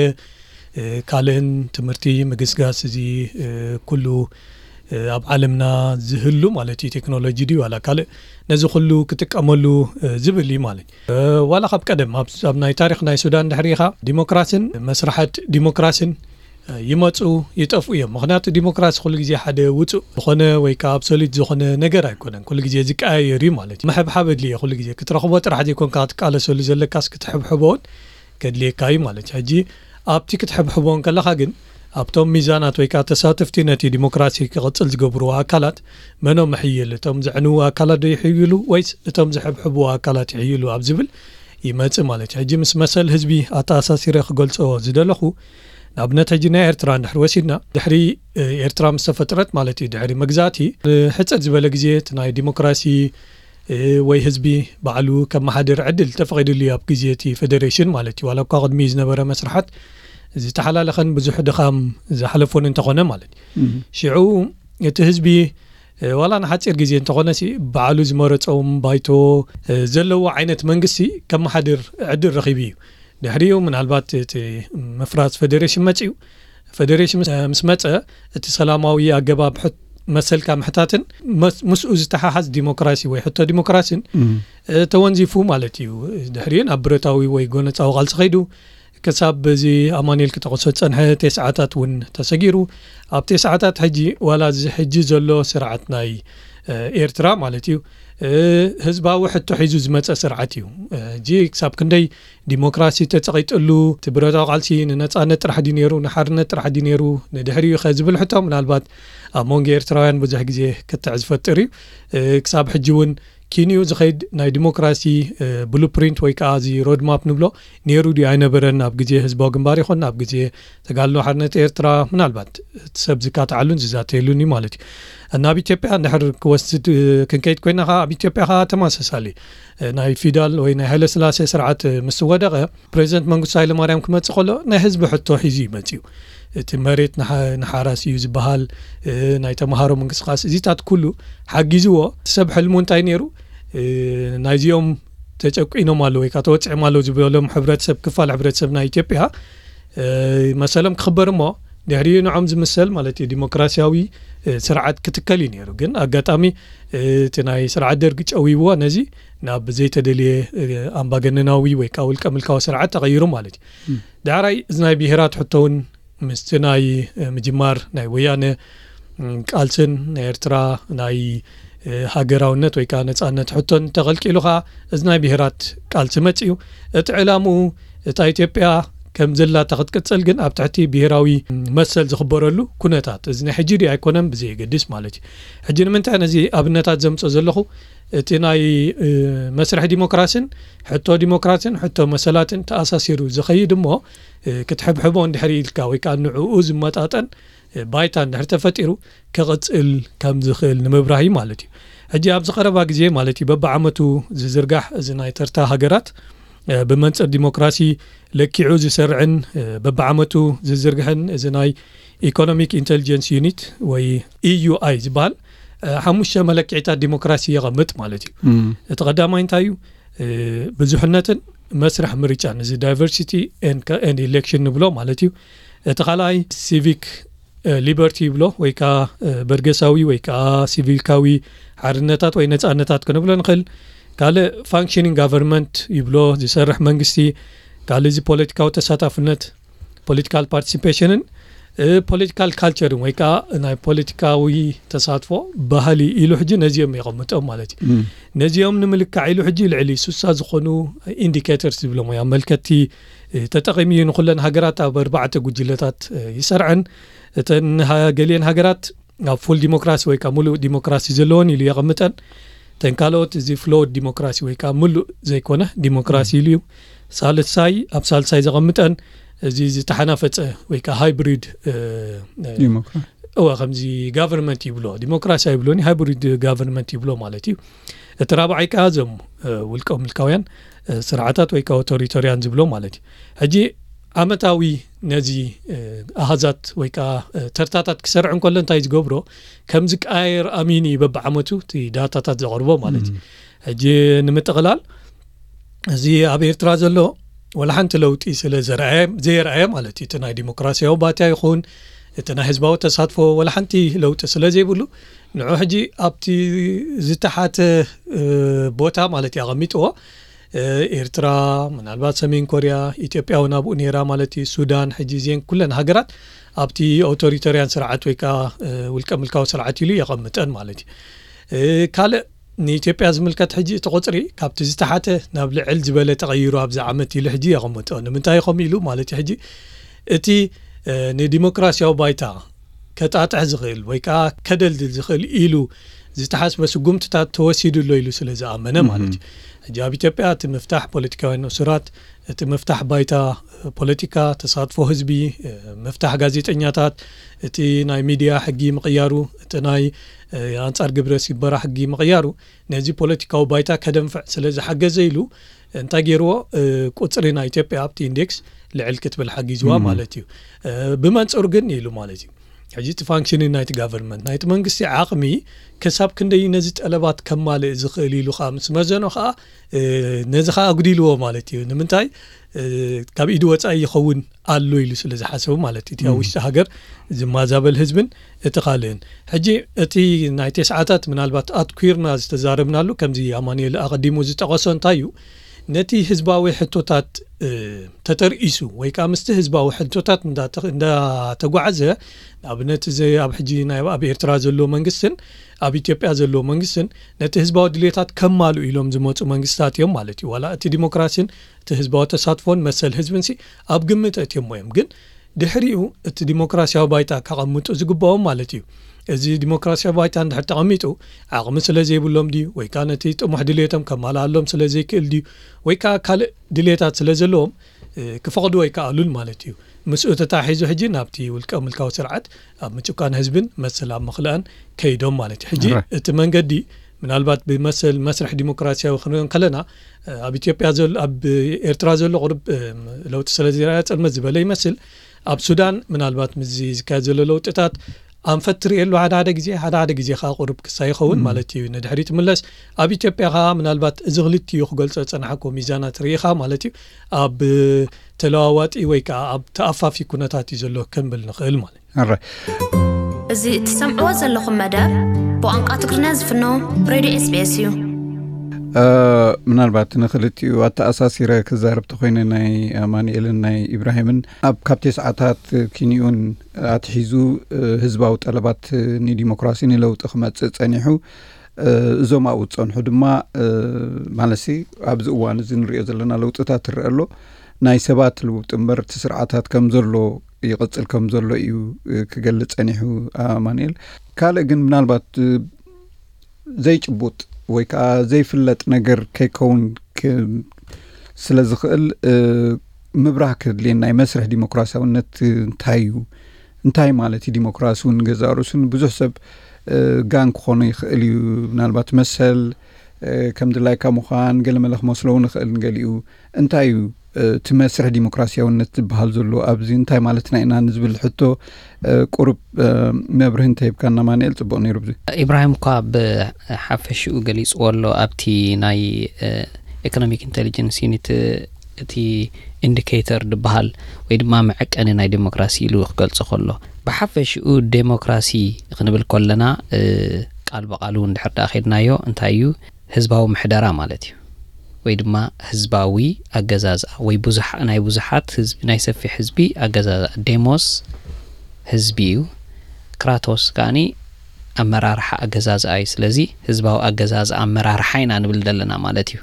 ካልእን ትምህርቲ ምግስጋስ እዚ ኩሉ ኣብ ዓለምና ዝህሉ ማለት እዩ። ቴክኖሎጂ ድዩ ዋላ ካልእ ነዚ ኩሉ ክጥቀመሉ ዝብል እዩ ማለት እዩ። ዋላ ካብ ቀደም ኣብ ናይ ታሪኽ ናይ ሱዳን ድሕሪኻ ዲሞክራሲን መስራሓት ዲሞክራሲን ይመፁ ይጠፍኡ እዮም። ምክንያቱ ዲሞክራሲ ኩሉ ግዜ ሓደ ውፁእ ዝኾነ ወይ ከዓ ኣብሶሉት ዝኾነ ነገር ኣይኮነን። ኩሉ ግዜ ዝቀያየር እዩ ማለት እዩ። ምሕብሓብ ኣድልየ ኩሉ ግዜ ክትረኽቦ ጥራሕ ዘይኮንካ ክትቃለሰሉ ዘለካስ ክትሕብሕቦ እውን ከድልየካ እዩ ማለት እዩ። ሕጂ ኣብቲ ክትሕብሕቦ ከለካ ግን ኣብቶም ሚዛናት ወይ ከዓ ተሳተፍቲ ነቲ ዲሞክራሲ ክቕፅል ዝገብርዎ ኣካላት መኖም ይሕይል? እቶም ዘዕንዉ ኣካላት ዶ ይሕይሉ ወይስ እቶም ዝሕብሕብዎ ኣካላት ይሕይሉ ኣብ ዝብል ይመጽእ ማለት እዩ። ሕጂ ምስ መሰል ህዝቢ ኣተኣሳሲረ ክገልጾ ዝደለኹ ንኣብነት ሕጂ ናይ ኤርትራ እንድሕር ወሲድና ድሕሪ ኤርትራ ምስ ተፈጥረት ማለት እዩ ድሕሪ መግዛእቲ ሕፅር ዝበለ ግዜ እቲ ናይ ዲሞክራሲ ወይ ህዝቢ ባዕሉ ከመሓድር ዕድል ተፈቒዱሉ እዩ ኣብ ግዜ እቲ ፌደሬሽን ማለት እዩ። ዋላ እኳ ቅድሚ ዝነበረ መስርሓት ዝተሓላለኸን ብዙሕ ድኻም ዝሓለፎን እንተኾነ ማለት እዩ። ሽዑ እቲ ህዝቢ ዋላ ንሓፂር ግዜ እንተኾነ ሲ ባዕሉ ዝመረፆም ባይቶ ዘለዎ ዓይነት መንግስቲ ከመሓድር ዕድል ረኺቡ እዩ። ድሕሪኡ ምናልባት እቲ ምፍራስ ፌደሬሽን መፅኡ። ፌደሬሽን ምስ መፀ እቲ ሰላማዊ ኣገባብ መሰልካ ምሕታትን ምስኡ ዝተሓሓዝ ዲሞክራሲ ወይ ሕቶ ዲሞክራሲን ተወንዚፉ ማለት እዩ። ድሕሪኡ ናብ ብረታዊ ወይ ጎነፃዊ ቃልሲ ከይዱ ክሳብ እዚ ኣማኑኤል ክጠቕሶ ዝፀንሐ ቴስዓታት እውን ተሰጊሩ። ኣብ ቴስዓታት ሕጂ ዋላ እዚ ሕጂ ዘሎ ስርዓት ናይ ኤርትራ ማለት እዩ ህዝባዊ ሕቶ ሒዙ ዝመፀ ስርዓት እዩ። ሕጂ ክሳብ ክንደይ ዲሞክራሲ ተፀቒጥሉ እቲ ብረታዊ ቃልሲ ንነፃነት ጥራሕ ድዩ ነይሩ ንሓርነት ጥራሕ ድዩ ነይሩ ንድሕሪኡ ከ ዝብል ሕቶ ምናልባት ኣብ መንጎ ኤርትራውያን ብዙሕ ግዜ ክትዕ ዝፈጥር እዩ። ክሳብ ሕጂ እውን ኪንኡ ዝኸይድ ናይ ዲሞክራሲ ብሉፕሪንት ወይ ከዓ እዚ ሮድማፕ ንብሎ ነይሩ ድዩ ኣይነበረን ኣብ ግዜ ህዝባዊ ግንባር ይኹን ኣብ ግዜ ተጋድሎ ሓርነት ኤርትራ ምናልባት እቲ ሰብ ዝካትዓሉን ዝዛተየሉን እዩ ማለት እዩ። ናብ ኢትዮጵያ እንድሕር ክወስድ ክንከይድ ኮይና ከዓ ኣብ ኢትዮጵያ ከዓ ተመሳሳሊ ናይ ፊዳል ወይ ናይ ሃይለስላሴ ስርዓት ምስ ወደቐ ፕሬዚደንት መንግስቱ ሃይለማርያም ክመፅእ ከሎ ናይ ህዝቢ ሕቶ ሒዙ ይመፅዩ። እቲ መሬት ንሓራስ እዩ ዝበሃል ናይ ተምሃሮ ምንቅስቃስ እዚታት ኩሉ ሓጊዝዎ ሰብ ሕልሙ እንታይ ነይሩ ናይዚኦም ተጨቂኖም ኣለዉ ወይ ከዓ ተወፂዖም ኣለዉ ዝበሎም ሕብረተሰብ ክፋል ሕብረተሰብ ናይ ኢትዮጵያ መሰሎም ክኽበር እሞ ድሕሪኡ ንዖም ዝምሰል ማለት እዩ ዲሞክራሲያዊ ስርዓት ክትከል እዩ ነይሩ። ግን ኣጋጣሚ እቲ ናይ ስርዓት ደርጊ ጨዊዎ ነዚ ናብ ዘይተደልየ ኣምባገነናዊ ወይ ከዓ ውልቀ ምልካዊ ስርዓት ተቐይሩ ማለት እዩ። ዳዕራይ እዚ ናይ ብሄራት ሕቶ እውን ምስቲ ናይ ምጅማር ናይ ወያነ ቃልስን ናይ ኤርትራ ናይ ሃገራውነት ወይ ከዓ ነፃነት ሕቶን ተቐልቂሉ ከዓ እዚ ናይ ብሄራት ቃልሲ መፅእ እዩ። እቲ ዕላምኡ እታ ኢትዮጵያ ከም ዘላታ ክትቅፅል ግን ኣብ ትሕቲ ብሄራዊ መሰል ዝኽበረሉ ኩነታት እዚ ናይ ሕጂ ድዩ ኣይኮነን ብዘየገድስ ማለት እዩ። ሕጂ ንምንታይ ነዚ ኣብነታት ዘምፅኦ ዘለኹ እቲ ናይ መስርሒ ዲሞክራሲን ሕቶ ዲሞክራሲን ሕቶ መሰላትን ተኣሳሲሩ ዝኸይድ እሞ ክትሕብሕቦ እንድሕር ኢልካ ወይ ከዓ ንዕኡ ዝመጣጠን ባይታ እንድሕር ተፈጢሩ ክቕፅል ከም ዝኽእል ንምብራህ እዩ ማለት እዩ። ሕጂ ኣብዚ ቀረባ ግዜ ማለት እዩ በብዓመቱ ዝዝርጋሕ እዚ ናይ ተርታ ሃገራት ብመንፅር ዲሞክራሲ ለኪዑ ዝሰርዕን በብዓመቱ ዝዝርግሕን እዚ ናይ ኢኮኖሚክ ኢንቴሊጀንስ ዩኒት ወይ ኢዩኣይ ዝበሃል ሓሙሽተ መለክዒታት ዲሞክራሲ የቐምጥ ማለት እዩ። እቲ ቀዳማይ እንታይ እዩ? ብዙሕነትን መስርሕ ምርጫን እዚ ዳይቨርሲቲ ኤንድ ኢሌክሽን ንብሎ ማለት እዩ። እቲ ካልኣይ ሲቪክ ሊበርቲ ይብሎ ወይ ከዓ በርገሳዊ ወይ ከዓ ሲቪካዊ ሓርነታት ወይ ነፃነታት ክንብሎ ንኽእል። ካልእ ፋንክሽኒንግ ጋቨርንመንት ይብሎ ዝሰርሕ መንግስቲ። ካልእ እዚ ፖለቲካዊ ተሳታፍነት ፖለቲካል ፓርቲሲፔሽንን ፖለቲካል ካልቸርን ወይ ከዓ ናይ ፖለቲካዊ ተሳትፎ ባህሊ ኢሉ ሕጂ ነዚኦም የቐምጦም ማለት እዩ። ነዚኦም ንምልካዕ ኢሉ ሕጂ ልዕሊ ሱሳ ዝኾኑ ኢንዲኬተርስ ዝብሎም ወይ ኣመልከቲ ተጠቒሙ እዩ ንኩለን ሃገራት ኣብ ኣርባዕተ ጉጅለታት ይሰርዐን። እተን ገሊአን ሃገራት ኣብ ፉል ዲሞክራሲ ወይ ከዓ ሙሉእ ዲሞክራሲ ዘለዎን ኢሉ የቐምጠን። ተን ካልኦት እዚ ፍሎድ ዲሞክራሲ ወይ ከዓ ሙሉእ ዘይኮነ ዲሞክራሲ ኢሉ እዩ። ሳልሳይ፣ ኣብ ሳልሳይ ዘቐምጠን እዚ ዝተሓናፈፀ ወይ ከዓ ሃይብሪድ፣ እ፣ እ፣ ዲሞክራሲ። እወ፣ ከምዚ ጋቨርንመንት ይብሎ፣ ዲሞክራሲ ኣይብሎን፣ ሃይብሪድ ጋቨርንመንት ይብሎ ማለት እዩ። እቲ ራብዓይ ከዓ እዞም፣ እ፣ ውልቀ ምልካውያን፣ እ፣ ስርዓታት ወይ ከዓ ኦቶሪታርያን ዝብሎ ማለት እዩ። ሕጂ ዓመታዊ ነዚ፣ እ፣ ኣሃዛት ወይ ከዓ፣ እ፣ ተርታታት ክሰርዕ እንከሎ እንታይ ዝገብሮ፣ ከም ዝቀያየር ኣሚኑ እዩ በብዓመቱ እቲ ዳታታት ዘቕርቦ ማለት እዩ። ሕጂ ንምጥቕላል፣ እዚ ኣብ ኤርትራ ዘሎ ወላ ሓንቲ ለውጢ ስለ ዘርኣየ፣ ዘየርኣየ ማለት እዩ፣ እቲ ናይ ዲሞክራሲያዊ ባይታ ይኹን እቲ ናይ ህዝባዊ ተሳትፎ ወላ ሓንቲ ለውጢ ስለ ዘይብሉ፣ ንዑ ሕጂ ኣብቲ ዝተሓተ፣ እ፣ ቦታ ማለት እዩ ኣቐሚጥዎ። እ፣ ኤርትራ፣ ምናልባት ሰሜን ኮርያ፣ ኢትዮጵያ እውን ኣብኡ ነይራ ማለት እዩ፣ ሱዳን፣ ሕጂ እዚአን ኩለን ሃገራት ኣብቲ ኦቶሪታርያን ስርዓት ወይ ከዓ፣ እ፣ ውልቀ ምልካዊ ስርዓት ኢሉ የቐምጠን ማለት እዩ። እ፣ ካልእ ንኢትዮጵያ ዝምልከት ሕጂ እቲ ቁፅሪ ካብቲ ዝተሓተ ናብ ልዕል ዝበለ ተቐይሩ ኣብዚ ዓመት ኢሉ ሕጂ የቐምጦ። ንምንታይ ከምኡ ኢሉ ማለት እዩ? ሕጂ እቲ፣ እ፣ ንዲሞክራሲያዊ ባይታ ከጣጥሕ ዝኽእል ወይ ከዓ ከደልድል ዝኽእል ኢሉ ዝተሓስበ ስጉምትታት ተወሲዱ ኣሎ ኢሉ ስለ ዝኣመነ ማለት እዩ። ሕጂ ኣብ ኢትዮጵያ እቲ ምፍታሕ ፖለቲካውያን እሱራት፣ እቲ ምፍታሕ ባይታ፣ እ፣ ፖለቲካ፣ ተሳትፎ ህዝቢ፣ እ፣ ምፍታሕ ጋዜጠኛታት፣ እቲ ናይ ሚድያ ሕጊ ምቕያሩ፣ እቲ ናይ፣ እ፣ ኣንጻር ግብረ ሲበራ ሕጊ ምቕያሩ፣ ነዚ ፖለቲካዊ ባይታ ከደንፍዕ ስለ ዝሓገዘ ኢሉ እንታይ ገይርዎ? እ፣ ቁጽሪ ናይ ኢትዮጵያ ኣብቲ ኢንዴክስ ልዕል ክትብል ሓጊዝዋ ማለት እዩ። እ፣ ብመንጽሩ ግን ኢሉ ማለት እዩ። ሕጂ እቲ ፋንክሽኒንግ ናይቲ ጋቨርንመንት፣ ናይቲ መንግስቲ ዓቕሚ ክሳብ ክንደይ ነዚ ጠለባት ከማልእ ዝኽእል ኢሉ ከዓ ምስ መዘኖ ከዓ፣ እ፣ ነዚ ከዓ ኣጉዲልዎ ማለት እዩ። ንምንታይ? እ፣ ካብ ኢዱ ወጻኢ ይኸውን ኣሎ ኢሉ ስለ ዝሓሰቡ ማለት እዩ። እቲ ኣብ ውሽጢ ሃገር ዝማዛበል ህዝብን እቲ ካልእን። ሕጂ እቲ ናይ ተስዓታት ምናልባት ኣትኲርና ዝተዛረብናሉ፣ ከምዚ ኣማኑኤል ኣቐዲሙ ዝጠቐሶ እንታይ እዩ? ነቲ ህዝባዊ ሕቶታት፣ እ፣ ተተርኢሱ ወይ ከዓ ምስቲ ህዝባዊ ሕቶታት እንዳተ-፣ እንዳተጓዓዘ፣ ንኣብነት እዚ ኣብ ሕጂ ናይ ኣብ ኤርትራ ዘሎ መንግስትን ኣብ ኢትዮጵያ ዘሎ መንግስትን ነቲ ህዝባዊ ድሌታት ከማልኡ ኢሎም ዝመፁ መንግስታት እዮም ማለት እዩ። ዋላ እቲ ዲሞክራሲን እቲ ህዝባዊ ተሳትፎን መሰል ህዝብንሲ ኣብ ግምት እትዮሞ እዮም። ግን ድሕሪኡ እቲ ዲሞክራሲያዊ ባይታ ከቐምጡ ዝግባኦም ማለት እዩ። እዚ ዲሞክራሲያዊ ባይታ እንድሕር ተቐሚጡ ዓቕሚ ስለ ዘይብሎም ድዩ? ወይ ከዓ ነቲ ጥሙሕ ድሌቶም ከማልኣሎም ስለ ዘይክእል ድዩ? ወይ ከዓ ካልእ ድሌታት ስለ ዘለዎም፣ እ፣ ክፈቕዱ ኣይከኣሉን ማለት እዩ። ምስኡ ተታሒዙ ሕጂ ናብቲ ውልቀ ምልካዊ ስርዓት ኣብ ምጭቋን ህዝብን መሰል ኣብ ምኽልኣን ከይዶም ማለት እዩ። ሕጂ ራይት። እቲ መንገዲ ምናልባት ብመሰል መስርሕ ዲሞክራሲያዊ ክንሪኦ ከለና፣ እ፣ ኣብ ኢትዮጵያ ዘሎ፣ ኣብ ኤርትራ ዘሎ ቁሩብ፣ እ፣ ለውጢ ስለ ዘይረኣየ ጽልመት ዝበለ ይመስል። ኣብ ሱዳን ምናልባት ምስዚ ዝካየድ ዘሎ ለውጥታት ኣንፈት ትርእየሉ ሓደ ሓደ ግዜ፣ ሓደ ሓደ ግዜ ከዓ ቁሩብ ክሳ ይኸውን ማለት እዩ፣ ንድሕሪት ምለስ። ኣብ ኢትዮጵያ ከዓ ምናልባት እዚ ክልቲኡ ክገልጾ ዝጸናሕኩ ሚዛናት ርኢኻ ማለት እዩ፣ ኣብ ተለዋዋጢ ወይ ከዓ ኣብ ተኣፋፊ ኩነታት እዩ ዘሎ ክንብል ንኽእል ማለት እዩ። ኣረ። እዚ እትሰምዕዎ ዘለኹም መደብ ብቋንቋ ትግርኛ ዝፍኖ ሬድዮ ኤስቢኤስ እዩ። እ፣ ምናልባት ንክልቲኡ ኣተኣሳሲረ ክዛረብ ተኮይነ፣ ናይ ኣማኑኤልን ናይ ኢብራሂምን፣ ኣብ ካብ ተስዓታት ኪንኡን ኣትሒዙ፣ እ፣ ህዝባዊ ጠለባት፣ እ፣ ንዲሞክራሲ ንለውጢ ክመጽእ ጸኒሑ፣ እ፣ እዞም ኣብኡ ዝጸንሑ ድማ፣ እ፣ ማለትሲ ኣብዚ እዋን እዚ ንሪኦ ዘለና ለውጥታት ትረአ ኣሎ። ናይ ሰባት ልውጥ እምበር እቲ ስርዓታት ከም ዘሎ ይቕጽል ከም ዘሎ እዩ፣ እ፣ ክገልጽ ጸኒሑ ኣማኑኤል። ካልእ ግን ምናልባት፣ እ፣ ዘይጭቡጥ ወይ ከዓ ዘይፍለጥ ነገር ከይከውን ክ-፣ ስለ ዝኽእል፣ እ፣ ምብራህ ከድልየን ናይ መስርሕ ዲሞክራሲያውነት እንታይ እዩ? እንታይ ማለት እዩ ዲሞክራሲ እውን ገዛእ ርእሱ ንብዙሕ ሰብ፣ እ፣ ጋን ክኾኖ ይኽእል እዩ። ምናልባት መሰል፣ እ፣ ከም ድላይካ ምዃን ገለ መለ ክመስሎ እውን ይኽእል ንገሊኡ። እንታይ እዩ፣ እ፣ እቲ መስርሕ ዲሞክራሲያውነት ዝበሃል ዘሎ ኣብዚ እንታይ ማለትና ኢና ንዝብል ሕቶ፣ እ፣ ቁሩብ፣ እ፣ መብርሂ እንተሂብካና ኣማኑኤል ጽቡቕ ነይሩ። ብዙ ኢብራሂም እኳ ብሓፈሽኡ ገሊጽዎ ኣሎ ኣብቲ ናይ፣ እ፣ ኢኮኖሚክ ኢንቴሊጀንስ ዩኒት፣ እ፣ እቲ ኢንዲኬተር ዝበሃል ወይ ድማ መዐቀኒ ናይ ዴሞክራሲ ኢሉ ክገልጾ ከሎ፣ ብሓፈሽኡ ዴሞክራሲ ክንብል ከለና፣ እ፣ ቃል ብቓሉ እንድሕር ደኣ ከድናዮ እንታይ እዩ? ህዝባዊ ምሕደራ ማለት እዩ። ወይ ድማ ህዝባዊ ኣገዛዝኣ ወይ ብዙሓ-፣ ናይ ብዙሓት ህዝቢ፣ ናይ ሰፊሕ ህዝቢ ኣገዛዝኣ። ዴሞስ ህዝቢ እዩ። ክራቶስ ከኣኒ ኣመራርሓ ኣገዛዝኣ እዩ። ስለዚ ህዝባዊ ኣገዛዝኣ ኣመራርሓ ኢና ንብል ዘለና ማለት እዩ።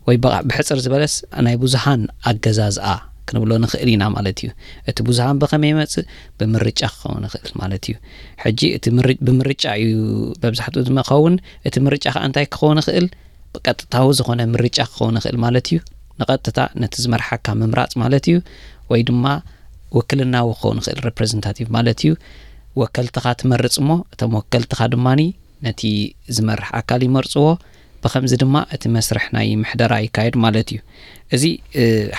ወይ ብቓ-፣ ብሕጽር ዝበለስ ናይ ብዙሃን ኣገዛዝኣ ክንብሎ ንኽእል ኢና ማለት እዩ። እቲ ብዙሃን ብኸመይ ይመጽእ? ብምርጫ ክኸውን ይኽእል ማለት እዩ። ሕጂ እቲ ምር- ብምርጫ እዩ መብዛሕትኡ ዝመኸውን። እቲ ምርጫ ከኣ እንታይ ክኸውን ይኽእል? ብቀጥታዊ ዝኾነ ምርጫ ክኸውን ይኽእል ማለት እዩ። ንቐጥታ ነቲ ዝመርሓካ ምምራጽ ማለት እዩ። ወይ ድማ ውክልናዊ ክኸውን ይኽእል፣ ሬፕሬዘንታቲቭ ማለት እዩ። ወከልትኻ ትመርጽ እሞ እቶም ወከልትኻ ድማኒ ነቲ ዝመርሕ ኣካል ይመርጽዎ። ብኸምዚ ድማ እቲ መስርሕ ናይ ምሕደራ ይካየድ ማለት እዩ። እዚ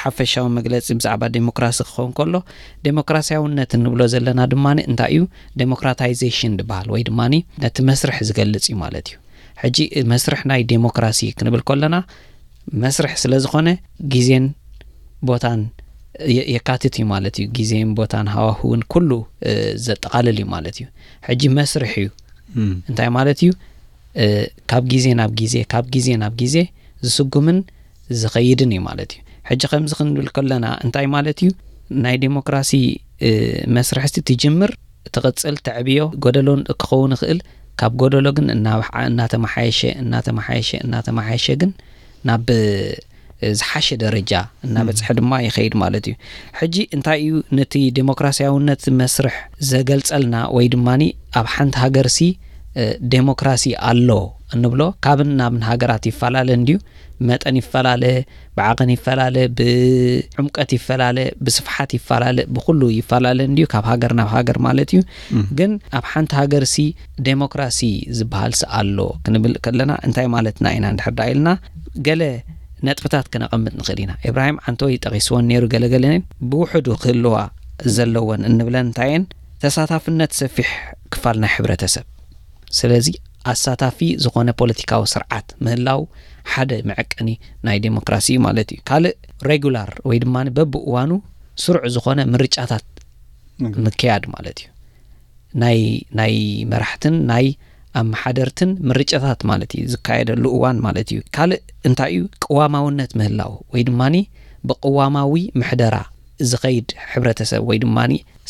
ሓፈሻዊ መግለፂ ብዛዕባ ዴሞክራሲ ክኸውን ከሎ፣ ዴሞክራሲያውነት እንብሎ ዘለና ድማ እንታይ እዩ? ዴሞክራታይዜሽን ዝበሃል ወይ ድማ ነቲ መስርሕ ዝገልፅ እዩ ማለት እዩ። ሕጂ መስርሕ ናይ ዴሞክራሲ ክንብል ከለና መስርሕ ስለ ዝኾነ ግዜን ቦታን የካትት እዩ ማለት እዩ። ግዜን ቦታን ሃዋህውን ኩሉ ዘጠቓልል እዩ ማለት እዩ። ሕጂ መስርሕ እዩ እንታይ ማለት እዩ? ካብ ግዜ ናብ ግዜ ካብ ግዜ ናብ ግዜ ዝስጉምን ዝኸይድን እዩ ማለት እዩ። ሕጂ ከምዚ ክንብል ከለና እንታይ ማለት እዩ? ናይ ዴሞክራሲ መስርሕቲ ትጅምር፣ ትቕፅል፣ ተዕብዮ፣ ጎደሎን ክኸውን ይኽእል። ካብ ጎደሎ ግን እናተመሓየሸ እናተመሓየሸ እናተመሓየሸ ግን ናብ ዝሓሸ ደረጃ እናበፅሐ ድማ ይኸይድ ማለት እዩ። ሕጂ እንታይ እዩ ነቲ ዴሞክራሲያውነት መስርሕ ዘገልፀልና ወይ ድማ ኣብ ሓንቲ ሃገርሲ ዴሞክራሲ ኣሎ እንብሎ? ካብን ናብን ሃገራት ይፈላለ እንድዩ፣ መጠን ይፈላለ፣ ብዓቐን ይፈላለ፣ ብዕምቀት ይፈላለ፣ ብስፍሓት ይፈላለ፣ ብኩሉ ይፈላለ እንድዩ ካብ ሃገር ናብ ሃገር ማለት እዩ። ግን ኣብ ሓንቲ ሃገርሲ ዴሞክራሲ ዝበሃልሲ ኣሎ ክንብል ከለና እንታይ ማለትና ኢና እንድሕር ደኣ ኢልና ገለ ነጥብታት ክነቐምጥ ንኽእል ኢና። ኢብራሂም ዓንተወይ ጠቒስወን ነይሩ ገለገለ ብውሕዱ ክህልዋ ዘለወን እንብለን እንታይ እየን? ተሳታፍነት ሰፊሕ ክፋል ናይ ሕብረተሰብ። ስለዚ ኣሳታፊ ዝኾነ ፖለቲካዊ ስርዓት ምህላው ሓደ መዐቀኒ ናይ ዴሞክራሲ እዩ ማለት እዩ። ካልእ ሬጉላር ወይ ድማ በብእዋኑ ስሩዕ ዝኾነ ምርጫታት ምክያድ ማለት እዩ። ናይ ናይ መራሕትን ናይ ኣመሓደርትን ምርጫታት ማለት እዩ ዝካየደሉ እዋን ማለት እዩ። ካልእ እንታይ እዩ? ቅዋማውነት ምህላው ወይ ድማ ብቅዋማዊ ምሕደራ ዝኸይድ ሕብረተሰብ ወይ ድማ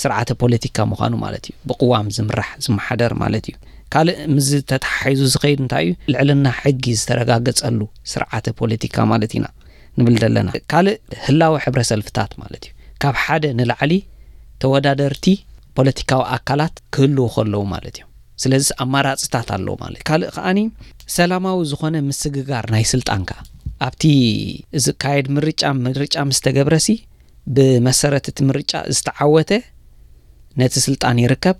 ስርዓተ ፖለቲካ ምዃኑ ማለት እዩ። ብቅዋም ዝምራሕ ዝመሓደር ማለት እዩ። ካልእ ምስ ተተሓሒዙ ዝኸይድ እንታይ እዩ? ልዕልና ሕጊ ዝተረጋገጸሉ ስርዓተ ፖለቲካ ማለት ኢና ንብል ዘለና። ካልእ ህላወ ሕብረ ሰልፍታት ማለት እዩ። ካብ ሓደ ንላዕሊ ተወዳደርቲ ፖለቲካዊ ኣካላት ክህልዉ ከለዉ ማለት እዩ። ስለዚ ኣማራፅታት ኣለዉ ማለት እዩ። ካልእ ከዓኒ ሰላማዊ ዝኾነ ምስግጋር ናይ ስልጣን ከኣ ኣብቲ ዝካየድ ምርጫ ምርጫ ምስ ተገብረሲ ብመሰረት እቲ ምርጫ ዝተዓወተ ነቲ ስልጣን ይርከብ፣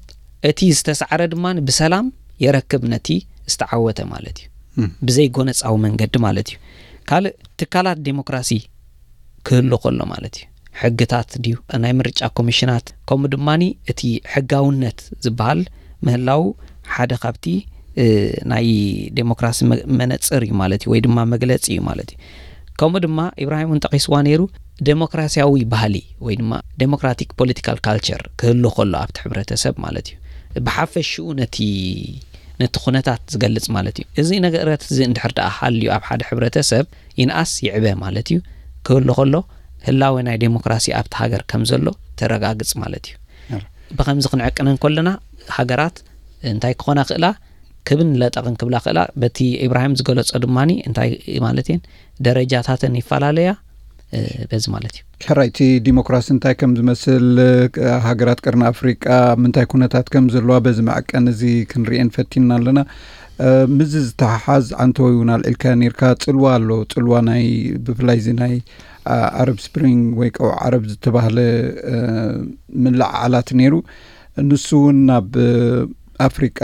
እቲ ዝተሳዕረ ድማ ብሰላም የረክብ ነቲ ዝተዓወተ ማለት እዩ። ብዘይ ጎነፃዊ መንገዲ ማለት እዩ። ካልእ ትካላት ዴሞክራሲ ክህሉ ከሎ ማለት እዩ። ሕግታት ድዩ ናይ ምርጫ ኮሚሽናት ከምኡ ድማ እቲ ሕጋውነት ዝበሃል ምህላው ሓደ ካብቲ ናይ ዴሞክራሲ መነፅር እዩ ማለት እዩ ወይ ድማ መግለፂ እዩ ማለት እዩ። ከምኡ ድማ ኢብራሂም እውን ጠቂስዋ ነይሩ፣ ዴሞክራሲያዊ ባህሊ ወይ ድማ ዴሞክራቲክ ፖለቲካል ካልቸር ክህሉ ከሎ ኣብቲ ሕብረተሰብ ማለት እዩ። ብሓፈሽኡ ነቲ ነቲ ኩነታት ዝገልፅ ማለት እዩ። እዚ ነገራት እዚ እንድሕር ደኣ ሃልዩ ኣብ ሓደ ሕብረተሰብ ይንኣስ ይዕበ ማለት እዩ። ክህሉ ከሎ ህላወ ናይ ዴሞክራሲ ኣብቲ ሃገር ከም ዘሎ ተረጋግፅ ማለት እዩ። ብኸምዚ ክንዕቅነን ከለና ሃገራት እንታይ ክኾና ክእላ? ክብን ለጠቕን ክብላ ክእላ። በቲ ኢብራሂም ዝገለጾ ድማ እንታይ ማለት እየን ደረጃታተን ይፈላለያ። በዚ ማለት እዩ። ሕራይ እቲ ዲሞክራሲ እንታይ ከም ዝመስል፣ ሃገራት ቀርኒ ኣፍሪቃ ምንታይ ኩነታት ከም ዘለዋ በዚ መዐቀኒ እዚ ክንርእየን ፈቲንና ኣለና። ምዚ ዝተሓሓዝ ዓንተወይ እውን ኣልዒልካ ነርካ። ጽልዋ ኣሎ፣ ጽልዋ ናይ ብፍላይ እዚ ናይ ኣረብ ስፕሪንግ ወይ ቀውዕ ዓረብ ዝተባህለ ምልዕዓላት ነይሩ። ንሱ እውን ናብ ኣፍሪቃ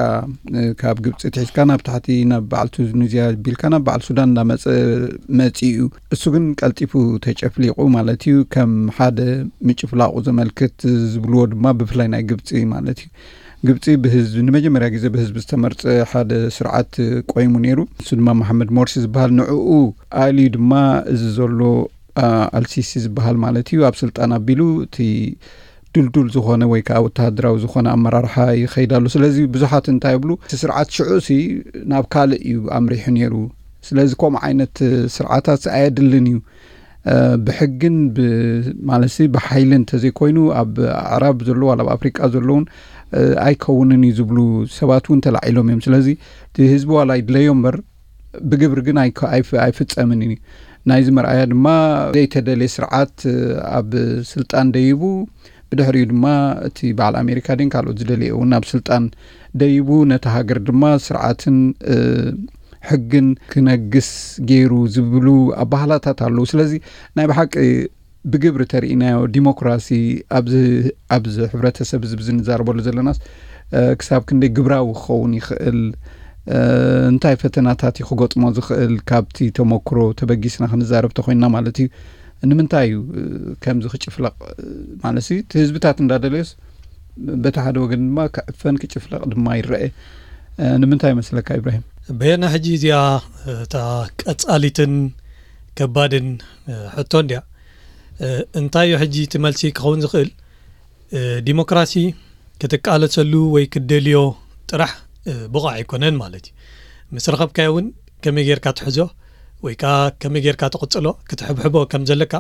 ካብ ግብፂ ትሒዝካ ናብ ታሕቲ ናብ በዓል ቱኒዝያ ቢልካ ናብ በዓል ሱዳን እንዳመፀ መፂኡ እዩ። እሱ ግን ቀልጢፉ ተጨፍሊቑ ማለት እዩ። ከም ሓደ ምጭፍላቑ ዘመልክት ዝብልዎ ድማ ብፍላይ ናይ ግብፂ ማለት እዩ። ግብፂ ብህዝቢ ንመጀመርያ ግዜ ብህዝቢ ዝተመርፀ ሓደ ስርዓት ቆይሙ ነይሩ። እሱ ድማ መሓመድ ሞርሲ ዝበሃል ንዕኡ ኣልዩ ድማ እዚ ዘሎ ኣልሲሲ ዝበሃል ማለት እዩ ኣብ ስልጣን ኣቢሉ እቲ ድልዱል ዝኾነ ወይ ከዓ ወተሃደራዊ ዝኾነ ኣመራርሓ ይኸይድ ኣሎ። ስለዚ ብዙሓት እንታይ ይብሉ፣ እቲ ስርዓት ሽዑ ሲ ናብ ካልእ እዩ ኣምሪሑ ነይሩ። ስለዚ ከምኡ ዓይነት ስርዓታት ኣየድልን እዩ። ብሕግን ማለት ሲ ብሓይሊ እንተዘይኮይኑ ኣብ ኣዕራብ ዘሎ ዋላ ኣብ ኣፍሪቃ ዘለውን ኣይከውንን እዩ ዝብሉ ሰባት እውን ተላዒሎም እዮም። ስለዚ እቲ ህዝቢ ዋላ ይድለዮ እምበር ብግብሪ ግን ኣይፍፀምን እዩ። ናይዚ መርኣያ ድማ ዘይተደልየ ስርዓት ኣብ ስልጣን ደይቡ፣ ብድሕሪኡ ድማ እቲ በዓል ኣሜሪካ ድን ካልኦት ዝደልየ እውን ናብ ስልጣን ደይቡ፣ ነቲ ሃገር ድማ ስርዓትን ሕግን ክነግስ ገይሩ ዝብሉ ኣባህላታት ኣለዉ። ስለዚ ናይ ብሓቂ ብግብሪ ተርእናዮ ዲሞክራሲ ኣብዚ ኣብዚ ሕብረተሰብ እዚ ብዝንዛረበሉ ዘለናስ ክሳብ ክንደይ ግብራዊ ክኸውን ይኽእል፣ እንታይ ፈተናታት እዩ ክገጥሞ ዝኽእል፣ ካብቲ ተመክሮ ተበጊስና ክንዛረብ ተኮይንና ማለት እዩ። ንምንታይ እዩ ከምዚ ክጭፍለቕ ማለት እቲ ህዝብታት እንዳደለዮስ በቲ ሓደ ወገን ድማ ክዕፈን ክጭፍለቕ ድማ ይረአ። ንምንታይ ይመስለካ ኢብራሂም? በየና ሕጂ እዚኣ እታ ቀጻሊትን ከባድን ሕቶ እንድያ። እንታይ እዩ ሕጂ እቲ መልሲ ክኸውን ዝኽእል? ዲሞክራሲ ክትቃለሰሉ ወይ ክትደልዮ ጥራሕ ብቑዕ ኣይኮነን ማለት እዩ። ምስ ረኸብካዮ እውን ከመይ ጌርካ ትሕዞ ወይ ከዓ ከመይ ጌርካ ትቕጽሎ ክትሕብሕቦ ከም ዘለካ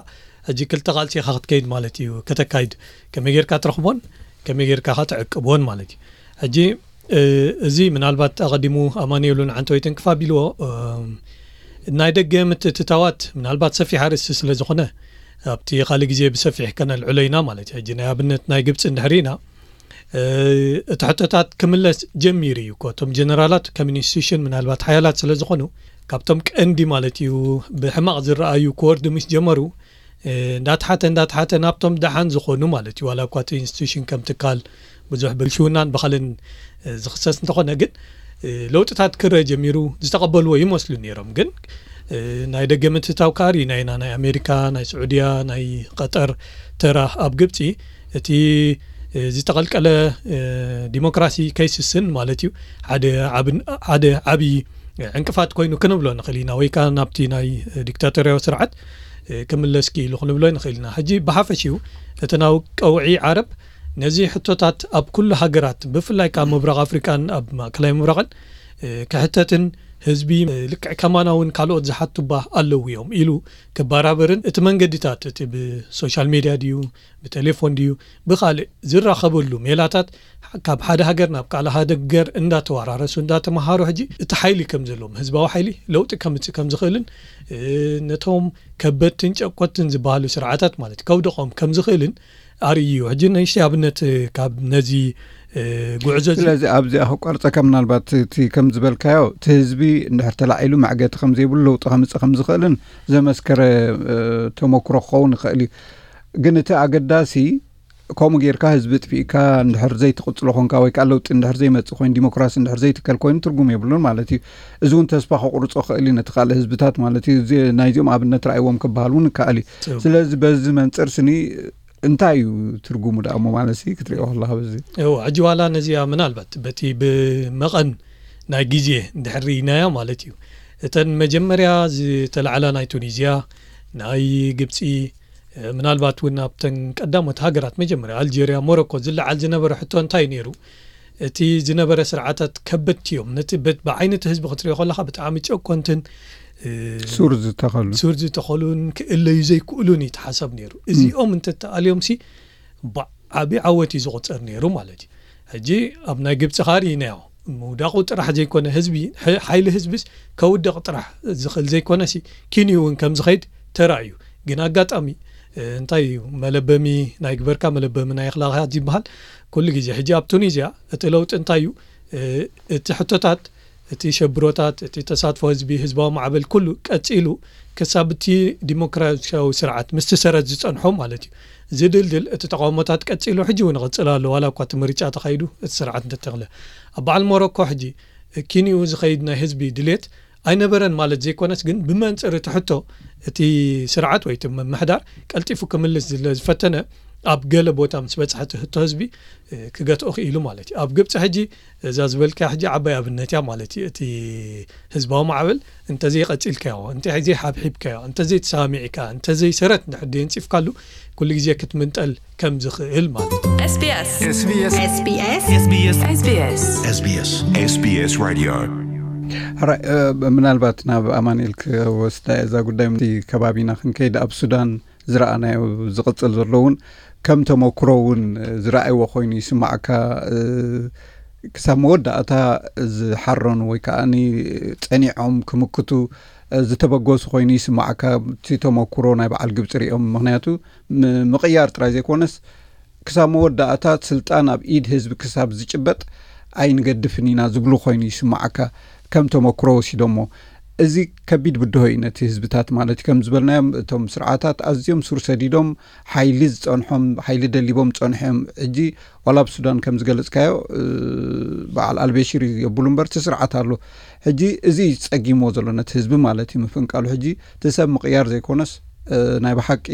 ሕጂ ክልተ ቃልሲ ኢኻ ክትከይድ ማለት እዩ። ከተካይድ ከመይ ጌርካ ትረኽቦን ከመይ ጌርካ ከ ትዕቅቦን ማለት እዩ። ሕጂ እዚ ምናልባት ኣቐዲሙ ኣማኑኤል እውን ዓንተወይትን ክፋ ቢልዎ ናይ ደገ ምትእትታዋት ምናልባት ሰፊሕ ኣርእስቲ ስለ ዝኾነ ኣብቲ ካልእ ግዜ ብሰፊሕ ከነልዕሎ ኢና ማለት እዩ። ሕጂ ናይ ኣብነት ናይ ግብፂ እንድሕር ኢና እቲ ሕቶታት ክምለስ ጀሚሩ እዩ እኮ። እቶም ጀነራላት ከም ኢንስቲቱሽን ምናልባት ሓያላት ስለ ዝኾኑ ካብቶም ቀንዲ ማለት እዩ ብሕማቕ ዝረኣዩ ክወርዱ ምስ ጀመሩ እንዳተሓተ እንዳተሓተ ናብቶም ደሓን ዝኾኑ ማለት እዩ። ዋላ እኳ እቲ ኢንስቲቱሽን ከም ትካል ብዙሕ ብልሽውናን ብኻልን ዝኽሰስ እንተኾነ ግን ለውጥታት ክረአ ጀሚሩ ዝተቐበልዎ ይመስሉ ነይሮም። ግን ናይ ደገ ምትእትታው ከኣ ርኢና ኢና። ናይ ኣሜሪካ፣ ናይ ስዑድያ፣ ናይ ቀጠር ተራ ኣብ ግብፂ እቲ ዝተቐልቀለ ዲሞክራሲ ከይስስን ማለት እዩ ሓደ ዓብን ሓደ ዓብዪ ዕንቅፋት ኮይኑ ክንብሎ ንኽእል ኢና። ወይ ከዓ ናብቲ ናይ ዲክታቶርያዊ ስርዓት ክምለስ ክኢሉ ክንብሎ ንኽእል ኢና። ሕጂ ብሓፈሽኡ እቲ ናይ ቀውዒ ዓረብ ነዚ ሕቶታት ኣብ ኩሉ ሃገራት ብፍላይ ከዓ ምብራቕ ኣፍሪቃን ኣብ ማእከላይ ምብራቕን ክሕተትን ህዝቢ ልክዕ ከማና እውን ካልኦት ዝሓቱባ ኣለዉ እዮም ኢሉ ክበራበርን እቲ መንገድታት እቲ ብሶሻል ሜድያ ድዩ ብቴሌፎን ድዩ ብኻልእ ዝራኸበሉ ሜላታት ካብ ሓደ ሃገር ናብ ካልእ ሃገር እንዳተወራረሱ እንዳተመሃሩ ሕጂ እቲ ሓይሊ ከም ዘለዎም ህዝባዊ ሓይሊ ለውጢ ከምፅእ ከም ዝኽእልን ነቶም ከበድትን ጨቆትን ዝበሃሉ ስርዓታት ማለት ከውደቖም ከም ዝኽእልን ኣርእዩ። ሕጂ ንእሽተይ ኣብነት ካብ ነዚ ጉዕዞ እዚ ስለዚ ኣብዚኣ ክቋርፀካ ምናልባት እቲ ከም ዝበልካዮ እቲ ህዝቢ እንድሕር ተላዒሉ መዕገቲ ከም ዘይብሉ ለውጢ ከምፅእ ከም ዝኽእልን ዘመስከረ ተመክሮ ክኸውን ይኽእል እዩ። ግን እቲ ኣገዳሲ ከምኡ ጌርካ ህዝቢ ጥፊእካ እንድሕር ዘይትቕፅሎ ኮንካ ወይ ከዓ ለውጢ እንድሕር ዘይመፅእ ኮይኑ ዲሞክራሲ እንድሕር ዘይትከል ኮይኑ ትርጉም የብሉን ማለት እዩ። እዚ እውን ተስፋ ከቁርፆ ክእል እዩ ነቲ ካልእ ህዝብታት ማለት እዩ። ናይዚኦም ኣብነት ረኣይዎም ክበሃል እውን ይከኣል እዩ። ስለዚ በዚ መንፅር ስኒ እንታይ እዩ ትርጉሙ ደኣ እሞ ማለት ሲ ክትሪኦ ከለካ በዚ እዎ ሕጂ ዋላ ነዚኣ ምናልባት በቲ ብመቐን ናይ ግዜ እንድሕር ርኢናያ ማለት እዩ እተን መጀመርያ ዝተላዕላ ናይ ቱኒዝያ ናይ ግብፂ ምናልባት እውን ኣብተን ቀዳሞት ሃገራት መጀመርያ ኣልጀርያ ሞሮኮ ዝለዓል ዝነበረ ሕቶ እንታይ ነይሩ እቲ ዝነበረ ስርዓታት ከበድቲ እዮም ነቲ ብዓይነቲ ህዝቢ ክትሪኦ ከለካ ብጣዕሚ ጨኮንትን ሱር ዝተኸሉ ሱር ዝተኸሉን ክእለዩ ዘይክእሉን እዩ ተሓሳብ ነይሩ እዚኦም እንተተኣልዮም ሲ ዓብዪ ዓወት እዩ ዝቑፀር ነይሩ ማለት እዩ ሕጂ ኣብ ናይ ግብፂ ኻሪ ኢናዮ ምውዳቑ ጥራሕ ዘይኮነ ህዝቢ ሓይሊ ህዝብስ ከውደቕ ጥራሕ ዝኽእል ዘይኮነ ሲ ኪንዩ እውን ከም ዝኸይድ ተራእዩ ግን ኣጋጣሚ እንታይ እዩ መለበሚ ናይ ግበርካ መለበሚ ናይ ኣኽላቕያት ዝበሃል ኩሉ ግዜ ሕጂ ኣብ ቱኒዝያ እቲ ለውጢ እንታይ እዩ እቲ ሕቶታት እቲ ሸብሮታት እቲ ተሳትፎ ህዝቢ ህዝባዊ ማዕበል ኩሉ ቀፂሉ ክሳብ እቲ ዲሞክራሲያዊ ስርዓት ምስ ትሰረት ዝፀንሖ ማለት እዩ ዝድልድል እቲ ተቃውሞታት ቀፂሉ ሕጂ እውን ይቕፅል ኣሎ ዋላ እኳ እቲ ምርጫ ተኻይዱ እቲ ስርዓት እንተተኽለ ኣብ በዓል ሞሮኮ ሕጂ ኪንኡ ዝኸይድ ናይ ህዝቢ ድሌት ኣይነበረን ማለት ዘይኮነስ ግን ብመንፅር እቲ ሕቶ እቲ ስርዓት ወይ እቲ ምምሕዳር ቀልጢፉ ክምልስ ዝፈተነ ኣብ ገለ ቦታ ምስ በፅሐ እቲ ሕቶ ህዝቢ ክገትኦ ክኢሉ ማለት እዩ ኣብ ግብፂ ሕጂ እዛ ዝበልካያ ሕጂ ዓባይ ኣብነት እያ ማለት እዩ እቲ ህዝባዊ ማዕበል እንተዘይቐፂልካዮ እንተዘይሓብሒብካዮ እንተዘይተሰማሚዕካ እንተዘይሰረት እንድሕር ደየንፂፍካሉ ኩሉ ግዜ ክትምንጠል ከም ዝኽእል ማለት እዩ SBS SBS SBS SBS SBS SBS SBS Radio ሕራይ ምናልባት ናብ ኣማኑኤል ክወስዳ እዛ ጉዳይ ከባቢና ክንከይድ ኣብ ሱዳን ዝረኣናዮ ዝቕፅል ዘሎ እውን ከም ተመክሮ እውን ዝረኣይዎ ኮይኑ ይስማዕካ ክሳብ መወዳእታ ዝሓረኑ ወይ ከዓ ጸኒዖም ክምክቱ ዝተበገሱ ኮይኑ ይስማዓካ። እቲ ተመኩሮ ናይ በዓል ግብፂ ሪኦም፣ ምክንያቱ ምቅያር ጥራይ ዘይኮነስ ክሳብ መወዳእታ ስልጣን ኣብ ኢድ ህዝቢ ክሳብ ዝጭበጥ ኣይንገድፍን ኢና ዝብሉ ኮይኑ ይስማዓካ፣ ከም ተመኩሮ ወሲዶሞ። እዚ ከቢድ ብድሆ እዩ ነቲ ህዝብታት ማለት እዩ። ከም ዝበልናዮም እቶም ስርዓታት ኣዝዮም ሱር ሰዲዶም ሓይሊ ዝፀንሖም፣ ሓይሊ ደሊቦም ፀንሖም። ሕጂ ዋላ ኣብ ሱዳን ከም ዝገለፅካዮ በዓል ኣልበሽር እዩ የብሉ እምበር እቲ ስርዓት ኣሎ። ሕጂ እዚ እዩ ፀጊሞ ዘሎ ነቲ ህዝቢ ማለት እዩ ምፍንቃሉ። ሕጂ እቲ ሰብ ምቕያር ዘይኮነስ ናይ ብሓቂ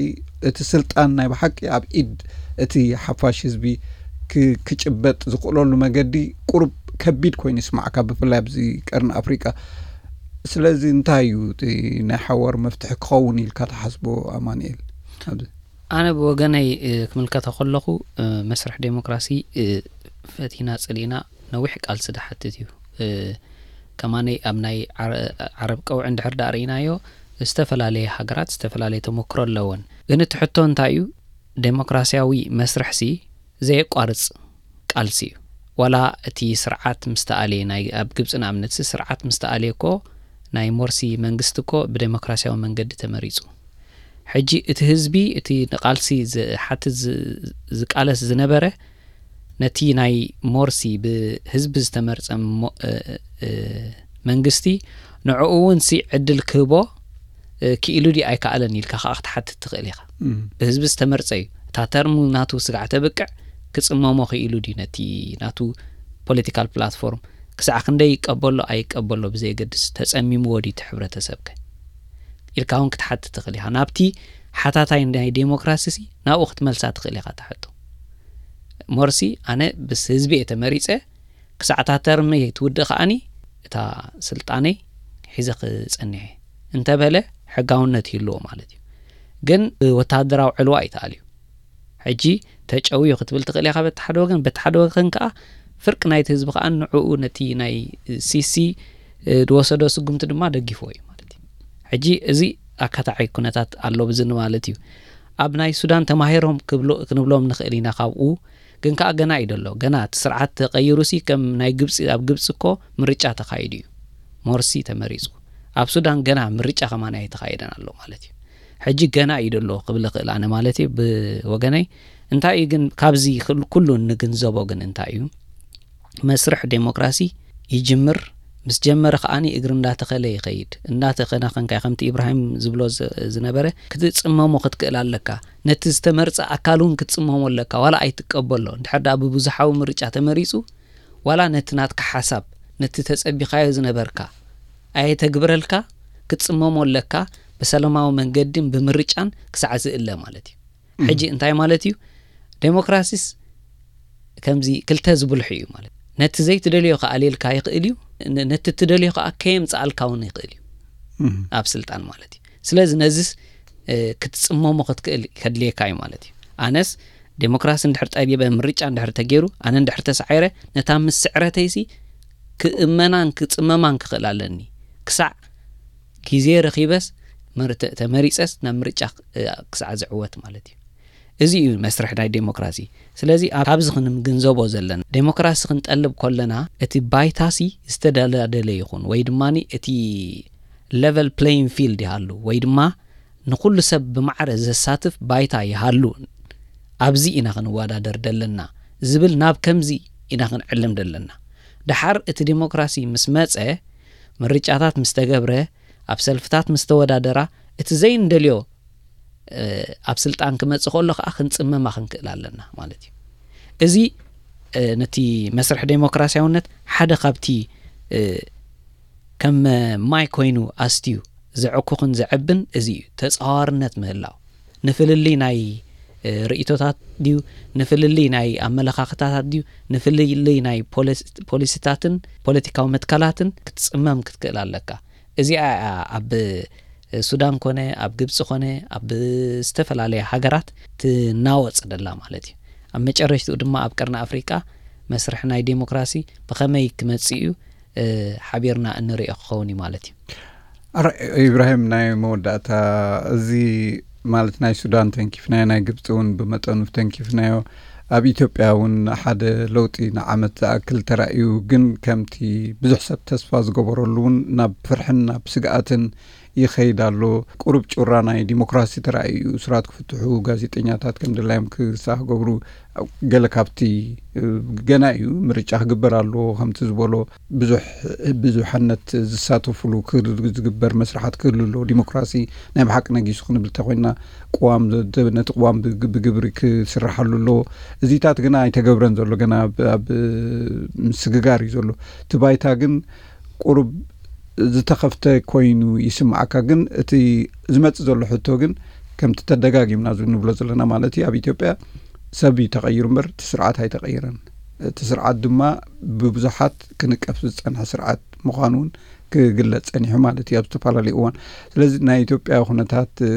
እቲ ስልጣን ናይ ብሓቂ ኣብ ኢድ እቲ ሓፋሽ ህዝቢ ክጭበጥ ዝኽእለሉ መገዲ ቁሩብ ከቢድ ኮይኑ ይስማዕካ፣ ብፍላይ ኣብዚ ቀርኒ ኣፍሪቃ። ስለዚ እንታይ እዩ እቲ ናይ ሓዋር መፍትሒ ክኸውን ኢልካ ትሓስቦ ኣማንኤል? ኣነ ብወገነይ ክምልከቶ ከለኹ መስርሕ ዴሞክራሲ ፈቲና ጸሊእና ነዊሕ ቃልሲ ዝሓትት እዩ። ከማነይ ኣብ ናይ ዓረብ ቀውዒ እንድሕር ዳኣ ርኢናዮ፣ ዝተፈላለየ ሃገራት ዝተፈላለየ ተመክሮ ኣለወን። ግን እቲ ሕቶ እንታይ እዩ? ዴሞክራሲያዊ መስርሕሲ ዘየቋርጽ ቃልሲ እዩ። ዋላ እቲ ስርዓት ምስ ተኣልየ፣ ናይ ኣብ ግብጺ ንኣብነትሲ ስርዓት ምስ ተኣልየ እኮ ናይ ሞርሲ መንግስቲ እኮ ብዴሞክራሲያዊ መንገዲ ተመሪጹ። ሕጂ እቲ ህዝቢ እቲ ንቃልሲ ዝሓትት ዝቃለስ ዝነበረ ነቲ ናይ ሞርሲ ብህዝቢ ዝተመርጸ መንግስቲ ንዕኡ እውን ሲ ዕድል ክህቦ ክኢሉ ድዩ ኣይከኣለን ኢልካ ከዓ ክትሓትት ትኽእል ኢኻ። ብህዝቢ ዝተመርጸ እዩ። እታ ተርሙ ናቱ ስጋዕ ተብቅዕ ክጽመሞ ክኢሉ ድዩ ነቲ ናቱ ፖለቲካል ፕላትፎርም ክሳዕ ክንደይ ይቀበሎ ኣይቀበሎ ብዘየገድስ ተጸሚምዎ ድዩ እቲ ሕብረተሰብከ ኢልካ እውን ክትሓትት ትኽእል ኢኻ። ናብቲ ሓታታይ ናይ ዴሞክራሲ ሲ ናብኡ ክትመልሳ ትኽእል ኢኻ እታ ሕቶ። ሞርሲ ኣነ ብስ ህዝቢ እየ ተመሪጸ ክሳዕ እታ ተርመይ ትውድእ ከኣኒ እታ ስልጣነይ ሒዘ ክጸንሕ እየ እንተበለ ሕጋውነት ይህልዎ ማለት እዩ። ግን ወታደራዊ ዕልዋ እዩ ተኣልዩ። ሕጂ ተጨውዩ ክትብል ትኽእል ኢኻ በቲ ሓደ ወገን፣ በቲ ሓደ ወገን ከዓ ፍርቂ ናይቲ ህዝቢ ከዓ ንዕኡ ነቲ ናይ ሲሲ ዝወሰዶ ስጉምቲ ድማ ደጊፍዎ እዩ ማለት እዩ። ሕጂ እዚ ኣካታዓይ ኩነታት ኣሎ ብዝኒ ማለት እዩ። ኣብ ናይ ሱዳን ተማሂሮም ክንብሎም ንኽእል ኢና ካብኡ፣ ግን ከዓ ገና እዩ ደሎ። ገና እቲ ስርዓት ተቐይሩሲ ከም ናይ ግብፂ፣ ኣብ ግብፂ እኮ ምርጫ ተኻይዱ እዩ፣ ሞርሲ ተመሪፁ። ኣብ ሱዳን ገና ምርጫ ከማን ኣይተኻየደን ኣሎ ማለት እዩ። ሕጂ ገና እዩ ደሎ ክብል እኽእል ኣነ ማለት እዩ ብወገነይ። እንታይ እዩ ግን ካብዚ ኩሉ እንግንዘቦ ግን እንታይ እዩ? መስርሕ ዴሞክራሲ ይጅምር፣ ምስ ጀመረ ከዓኒ እግሪ እንዳተኸለ ይኸይድ። እንዳተኸናኸንካ ከምቲ ኢብራሂም ዝብሎ ዝነበረ ክትጽመሞ ክትክእል ኣለካ። ነቲ ዝተመርጸ ኣካል እውን ክትጽመሞ ኣለካ፣ ዋላ ኣይትቀበሎ። እንድሕር ደኣ ብብዙሓዊ ምርጫ ተመሪጹ፣ ዋላ ነቲ ናትካ ሓሳብ፣ ነቲ ተጸቢኻዮ ዝነበርካ ኣየተግብረልካ፣ ክትጽመሞ ኣለካ። ብሰላማዊ መንገድን ብምርጫን ክሳዕ ዝእለ ማለት እዩ። ሕጂ እንታይ ማለት እዩ? ዴሞክራሲስ ከምዚ ክልተ ዝብልሑ እዩ ማለት። ነቲ ዘይትደልዮ ከኣልየልካ ይኽእል እዩ፣ ነቲ ትደልዮ ከኣ ከየምጽኣልካ እውን ይኽእል እዩ ኣብ ስልጣን ማለት እዩ። ስለዚ ነዚስ ክትጽመሞ ክትክእል ከድልየካ እዩ ማለት እዩ። ኣነስ ዴሞክራሲ እንድሕር ጠቢበ፣ ምርጫ እንድሕር ተገይሩ፣ ኣነ እንድሕር ተሳዒረ፣ ነታ ምስ ስዕረተይሲ ክእመናን ክጽመማን ክኽእል ኣለኒ። ክሳዕ ግዜ ረኺበስ ተመሪጸስ ናብ ምርጫ ክሳዕ ዝዕወት ማለት እዩ። እዚ እዩ መስርሕ ናይ ዴሞክራሲ። ስለዚ ኣብዚ ክንግንዘቦ ዘለና፣ ዴሞክራሲ ክንጠልብ ከለና እቲ ባይታሲ ዝተደላደለ ይኹን ወይ ድማ እቲ ሌቨል ፕሌይን ፊልድ ይሃሉ ወይ ድማ ንኹሉ ሰብ ብማዕረ ዘሳትፍ ባይታ ይሃሉ፣ ኣብዚ ኢና ክንወዳደር ደለና ዝብል ናብ ከምዚ ኢና ክንዕልም ደለና። ደሓር እቲ ዴሞክራሲ ምስ መጸ፣ ምርጫታት ምስ ተገብረ፣ ኣብ ሰልፍታት ምስ ተወዳደራ፣ እቲ ዘይንደልዮ ኣብ ስልጣን ክመጽእ ከሎ ከዓ ክንጽመማ ክንክእል ኣለና ማለት እዩ። እዚ ነቲ መስርሕ ዴሞክራሲያውነት ሓደ ካብቲ ከም ማይ ኮይኑ ኣስትዩ ዘዕኩኽን ዘዕብን እዚ እዩ፣ ተጻዋርነት ምህላው። ንፍልልይ ናይ ርእይቶታት ድዩ፣ ንፍልልይ ናይ ኣመለኻኽታታት ድዩ፣ ንፍልልይ ናይ ፖሊሲታትን ፖለቲካዊ መትከላትን ክትጽመም ክትክእል ኣለካ። እዚኣ እያ ኣብ ሱዳን ኮነ ኣብ ግብፂ ኮነ ኣብ ዝተፈላለያ ሃገራት ትናወፅ ደላ ማለት እዩ። ኣብ መጨረሽትኡ ድማ ኣብ ቀርኒ ኣፍሪቃ መስርሕ ናይ ዴሞክራሲ ብኸመይ ክመፅእ እዩ ሓቢርና እንሪኦ ክኸውን እዩ ማለት እዩ። ኢብራሂም፣ ናይ መወዳእታ፣ እዚ ማለት ናይ ሱዳን ተንኪፍናዮ፣ ናይ ግብፂ እውን ብመጠኑ ተንኪፍናዮ፣ ኣብ ኢትዮጵያ እውን ሓደ ለውጢ ንዓመት ዝኣክል ተራእዩ፣ ግን ከምቲ ብዙሕ ሰብ ተስፋ ዝገበረሉ እውን ናብ ፍርሕን ናብ ስግኣትን ይኸይድ ኣሎ። ቁሩብ ጩራ ናይ ዲሞክራሲ ተራእዩ፣ እሱራት ክፍትሑ፣ ጋዜጠኛታት ከም ድላዮም ክሳ ክገብሩ፣ ገለ ካብቲ፣ እ፣ ገና እዩ፣ ምርጫ ክግበር ኣለዎ። ከምቲ ዝበሎ ብዙሕ ብዙሓነት ዝሳተፉሉ ክህሉ ዝግበር መስርሓት ክህሉ ኣለዎ። ዲሞክራሲ ናይ ብሓቂ ነጊሱ ክንብል እንተኾይንና፣ ቅዋም ዘ-፣ ነቲ ቅዋም ብግ-፣ ብግብሪ ክስርሓሉ ኣለዎ። እዚታት ግና ኣይተገብረን ዘሎ፣ ገና ኣብ፣ ኣብ ምስግጋር እዩ ዘሎ። እቲ ባይታ ግን ቁሩብ ዝተኸፍተ ኮይኑ ይስምዓካ። ግን እቲ ዝመጽእ ዘሎ ሕቶ ግን ከምቲ ተደጋጊምና ንብሎ ዘለና ማለት እዩ፣ ኣብ ኢትዮጵያ ሰብ እዩ ተቐይሩ እምበር እቲ ስርዓት ኣይተቐይረን። እቲ ስርዓት ድማ ብብዙሓት ክንቀፍ ዝጸንሐ ስርዓት ምዃኑ እውን ክግለጽ ጸኒሑ ማለት እዩ ኣብ ዝተፈላለዩ እዋን። ስለዚ ናይ ኢትዮጵያ ኩነታት፣ እ፣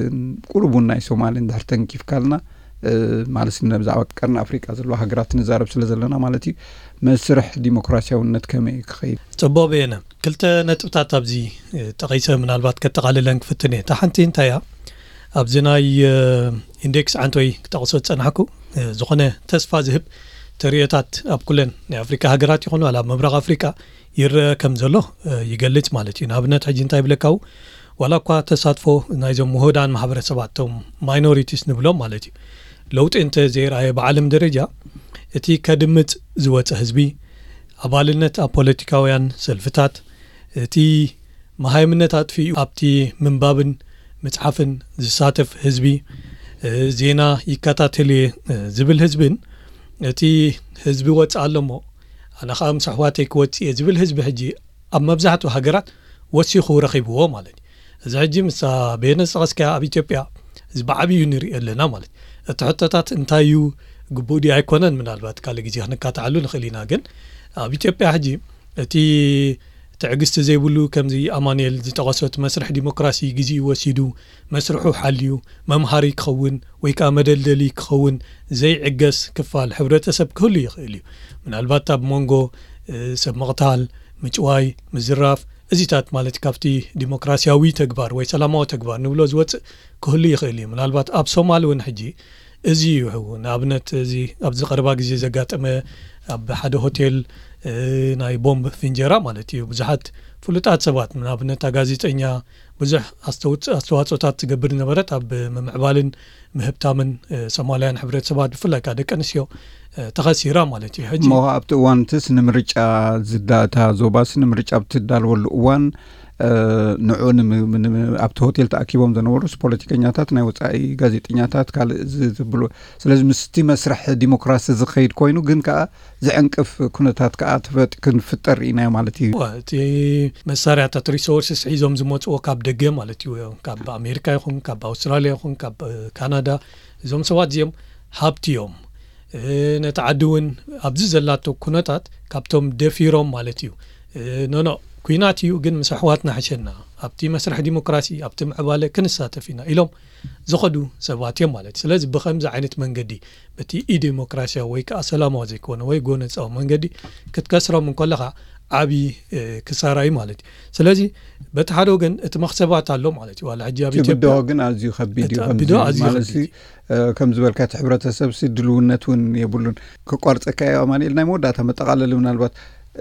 ቁሩብ እውን ናይ ሶማሊ እንድሕር ተንኪፍካልና፣ እ፣ ማለት ብዛዕባ ቀርኒ ኣፍሪቃ ዘለዋ ሃገራት ንዛረብ ስለ ዘለና ማለት እዩ፣ መስርሕ ዲሞክራሲያውነት ከመይ ክኸይድ? ጽቡቕ በየነ፣ ክልተ ነጥብታት ኣብዚ፣ እ፣ ጠቒሰ ምናልባት ከጠቓልለን ክፍትን እየ። እታ ሓንቲ እንታይ እያ? ኣብዚ ናይ፣ እ፣ ኢንዴክስ ዓንቶይ ክጠቕሶ ዝጸናሕኩ፣ እ፣ ዝኾነ ተስፋ ዝህብ ተርእዮታት ኣብ ኩለን ናይ ኣፍሪካ ሃገራት ይኹን ዋላ ኣብ ምብራቕ ኣፍሪካ ይረአ ከም ዘሎ፣ እ፣ ይገልጽ ማለት እዩ። ንኣብነት ሕጂ እንታይ ይብለካ? ዋላ እኳ ተሳትፎ ናይዞም ውሁዳን ማሕበረሰባት፣ እቶም ማይኖሪቲስ ንብሎም ማለት እዩ፣ ለውጢ እንተ ዘይረኣየ ብዓለም ደረጃ፣ እቲ ከድምጽ ዝወጸ ህዝቢ፣ ኣባልነት ኣብ ፖለቲካውያን ሰልፍታት፣ እቲ መሃይምነት ኣጥፊኡ ኣብቲ ምንባብን ምጽሓፍን ዝሳተፍ ህዝቢ፣ እ፣ ዜና ይከታተል እየ፣ እ፣ ዝብል ህዝብን፣ እቲ ህዝቢ ወጽእ ኣሎ እሞ ኣነ ኸኣ ምስ ኣሕዋተይ ክወጽእ እየ ዝብል ህዝቢ ሕጂ ኣብ መብዛሕትኡ ሃገራት ወሲኹ ረኺብዎ ማለት እዩ። እዚ ሕጂ ምስታ በየነ ዝጠቐስካያ ኣብ ኢትዮጵያ እዚ ብዓብዩ ንሪኦ ኣለና ማለት እዩ። እቲ ሕቶታት እንታይ እዩ፣ ግቡእ ድዩ ኣይኮነን፣ ምናልባት ካልእ ግዜ ክንካትዓሉ ንኽእል ኢና። ግን ኣብ ኢትዮጵያ ሕጂ እቲ ትዕግስቲ ዘይብሉ፣ ከምዚ ኣማኑኤል ዝጠቐሶ፣ እቲ መስርሕ ዲሞክራሲ ግዜኡ ወሲዱ፣ መስርሑ ሓልዩ፣ መምሃሪ ክኸውን ወይ ከኣ መደልደሊ ክኸውን ዘይዕገስ ክፋል ሕብረተሰብ ክህሉ ይኽእል እዩ። ምናልባት ኣብ መንጎ፣ እ፣ ሰብ ምቕታል፣ ምጭዋይ፣ ምዝራፍ፣ እዚታት ማለት ካብቲ ዲሞክራሲያዊ ተግባር ወይ ሰላማዊ ተግባር ንብሎ ዝወጽእ ክህሉ ይኽእል እዩ። ምናልባት ኣብ ሶማል እውን ሕጂ እዚ እዩ። ንኣብነት፣ እዚ ኣብዚ ቀረባ ግዜ ዘጋጠመ፣ ኣብ ሓደ ሆቴል፣ እ፣ ናይ ቦምብ ፍንጀራ ማለት እዩ፣ ብዙሓት ፍሉጣት ሰባት፣ ንኣብነት፣ እታ ጋዜጠኛ፣ ብዙሕ ኣስተውጽ-፣ ኣስተዋጽኦታት ትገብር ዝነበረት ኣብ ምምዕባልን ምህብታምን፣ እ፣ ሶማልያን ሕብረተሰባት፣ ብፍላይ ከኣ ደቂ ኣንስትዮ፣ እ፣ ተኸሲራ ማለት እዩ። ሕጂ እሞ ኣብቲ እዋን፣ እንትስ ንምርጫ ዝዳ-፣ እታ ዞባስ ንምርጫ ኣብ ትዳለወሉ እዋን፣ እ፣ ንዑ ንም-፣ ንም-፣ ኣብቲ ሆቴል ተኣኪቦም ዝነበሩስ ፖለቲከኛታት፣ ናይ ወጻኢ ጋዜጠኛታት፣ ካልእ ዝ-፣ ዝብሉ። ስለዚ ምስቲ መስርሕ ዲሞክራሲ ዝኸይድ ኮይኑ፣ ግን ከኣ ዝዕንቅፍ ኩነታት ከኣ ትፈጥ-፣ ክንፍጠር ኢናዮ ማለት እዩ። እዋ፣ እቲ መሳርያታት፣ ሪሶርስስ፣ ሒዞም ዝመጽዎ ካብ ደገ ማለት እዩ። ካብ ኣሜሪካ ይኹን፣ ካብ ኣውስትራልያ ይኹን፣ ካብ፣ እ፣ ካናዳ፣ እዞም ሰባት እዚኦም ሃብቲ እዮም። እ፣ ነቲ ዓዲ እውን ኣብዚ ዘላቶ ኩነታት ካብቶም ደፊሮም ማለት እዩ። እ፣ ኖኖ፣ ኲናት እዩ፣ ግን ምስ ኣሕዋትና ሕሸና፣ ኣብቲ መስርሕ ዲሞክራሲ፣ ኣብቲ ምዕባለ ክንሳተፍ ኢና ኢሎም ዝኸዱ ሰባት እዮም ማለት እዩ። ስለዚ ብኸምዚ ዓይነት መንገዲ፣ በቲ ኢዲሞክራሲያዊ ወይ ከኣ ሰላማዊ ዘይኮነ ወይ ጎነጻዊ መንገዲ ክትከስሮም እንከለኻ፣ ዓቢ፣ እ፣ ክሳራ እዩ ማለት እዩ። ስለዚ በቲ ሓደ ወገን እቲ መኽሰባት ኣሎ ማለት እዩ። ዋላ ሕጂ ኣብ እቲ ኢትዮጵያ ብድሆ ግን ኣዝዩ ከቢድ እዩ። እቲ ከምዚ ብድሆ ኣዝዩ ማለት ከቢድ እዩ። እ፣ ከም ዝበልካ፣ እቲ ሕብረተሰብ ሲ ድልውነት እውን የብሉን። ክቋርጸካ እየ ኣማኑኤል፣ ናይ መወዳእታ መጠቓለሊ፣ ምናልባት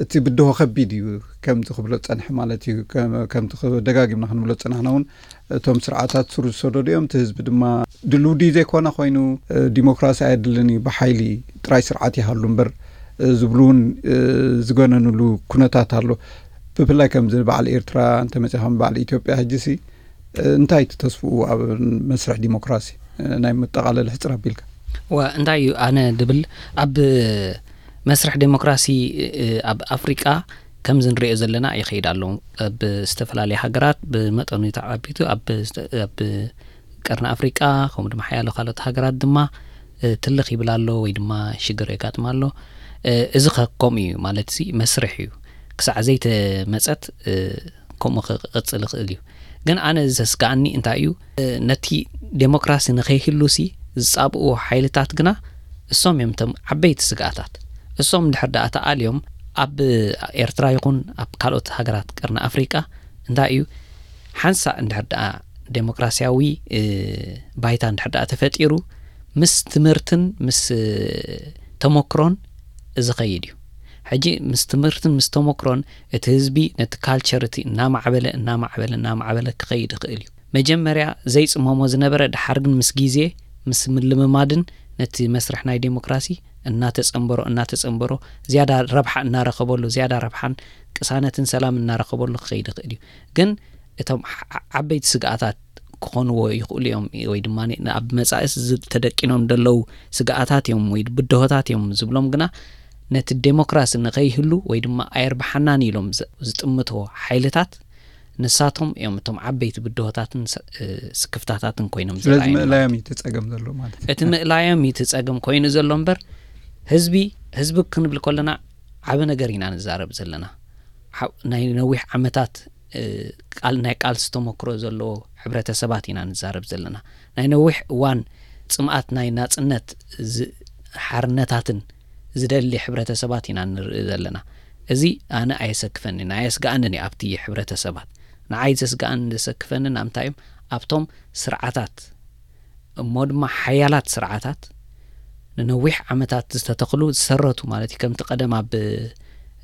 እቲ ብድሆ ከቢድ እዩ፣ ከምዚ ክብሎ ዝጸንሐ ማለት እዩ። ከም-፣ ከምቲ ክብ-፣ ደጋጊምና ክንብሎ ዝጸናሕና እውን፣ እቶም ስርዓታት ስሩ ዝሰደዱ እዮም። እቲ ህዝቢ ድማ ድልው ድዩ ዘይኮነ ኮይኑ፣ እ፣ ዲሞክራሲ ኣየድልን እዩ፣ ብሓይሊ ጥራይ ስርዓት ይሃሉ እምበር፣ እ፣ ዝብሉ እውን፣ እ፣ ዝገነኑሉ ኩነታት ኣሎ። ብፍላይ ከምዚ በዓል ኤርትራ እንተመጺኻ፣ በዓል ኢትዮጵያ ሕጂሲ፣ እ፣ እንታይ እቲ ተስፍኡ ኣብ መስርሕ ዲሞክራሲ? እ፣ ናይ መጠቓለሊ ሕጽር ኣቢልካ። ዋ፣ እንታይ እዩ ኣነ ድብል፣ ኣብ መስርሕ ዴሞክራሲ፣ እ፣ ኣብ ኣፍሪቃ ከምዚ ንሪኦ ዘለና ይኸይድ ኣሎ። ኣብ ዝተፈላለያ ሃገራት ብመጠኑ ተዓቢቱ፣ ኣብ፣ ኣብ ቀርኒ ኣፍሪቃ፣ ከምኡ ድማ ሓያሎ ካልኦት ሃገራት ድማ፣ እ፣ ትልኽ ይብል ኣሎ ወይ ድማ ሽግር የጋጥም ኣሎ። እ፣ እዚ ኸ ከምኡ እዩ፣ ማለትሲ መስርሕ እዩ። ክሳዕ ዘይተመጸት፣ እ፣ ከምኡ ክቕጽል ይኽእል እዩ። ግን ኣነ ዘስግኣኒ እንታይ እዩ፣ እ፣ ነቲ ዴሞክራሲ ንኸይህሉሲ ዝጻብእዎ ሓይልታት ግና እሶም እዮም እቶም ዓበይቲ ስግኣታት። እሶም እንድሕር ደኣ ተኣልዮም፣ ኣብ ኤርትራ ይኹን ኣብ ካልኦት ሃገራት ቀርኒ ኣፍሪቃ እንታይ እዩ፣ ሓንሳእ እንድሕር ደኣ ዴሞክራሲያዊ፣ እ፣ ባይታ እንድሕር ደኣ ተፈጢሩ፣ ምስ ትምህርትን ምስ፣ እ፣ ተመክሮን ዝኸይድ እዩ። ሕጂ ምስ ትምህርትን ምስ ተመክሮን እቲ ህዝቢ ነቲ ካልቸር እቲ እናማዕበለ እናማዕበለ እናማዕበለ ክኸይድ ይኽእል እዩ። መጀመርያ ዘይጽመሞ ዝነበረ፣ ድሓር ግን ምስ ግዜ ምስ ምልምማድን ነቲ መስርሕ ናይ ዴሞክራሲ እናተጸንበሮ እናተጸንበሮ ዝያዳ ረብሓ እናረኸበሉ፣ ዝያዳ ረብሓን ቅሳነትን ሰላም እናረኸበሉ ክኸይድ ይኽእል እዩ። ግን እቶም ዓ- ዓበይቲ ስግኣታት ክኾንዎ ይኽእሉ እዮም፣ ወይ ድማ ኣብ መጻእስ ዝ- ተደቂኖም ዘለዉ ስግኣታት እዮም ወይ ብድሆታት እዮም ዝብሎም ግና ነቲ ዴሞክራሲ ንኸይህሉ ወይ ድማ ኣየርብሓናን ኢሎም ዝ- ዝጥምትዎ ሓይልታት ንሳቶም እዮም እቶም ዓበይቲ ብድሆታትን ስ- እ፣ ስክፍታታትን ኮይኖም ስለዚ ዝረኣዩና። ምእላዮም እዩ እቲ ጸገም ዘሎ ማለት እዩ። እቲ ምእላዮም እዩ እቲ ጸገም ኮይኑ ዘሎ እምበር ህዝቢ ህዝቢ ክንብል ከለና ዓቢ ነገር ኢና ንዛረብ ዘለና። ሓ- ናይ ነዊሕ ዓመታት እ፣ ቃል ናይ ቃልሲ ተመክሮ ዘለዎ ሕብረተሰባት ኢና ንዛረብ ዘለና። ናይ ነዊሕ እዋን ጽምኣት ናይ ናጽነት ዝ- ሓርነታትን ዝደሊ ሕብረተሰባት ኢና ንርኢ ዘለና። እዚ ኣነ ኣየሰክፈንን ኣየስግኣንን እዩ። ኣብቲ ሕብረተሰባት ንዓይ ዘስግኣንን ዘሰክፈንን ኣምታይ እዮም ኣብቶም ስርዓታት እሞ ድማ ሓያላት ስርዓታት ንነዊሕ ዓመታት ዝተተኽሉ ዝሰረቱ ማለት እዩ። ከምቲ ቀደም ኣብ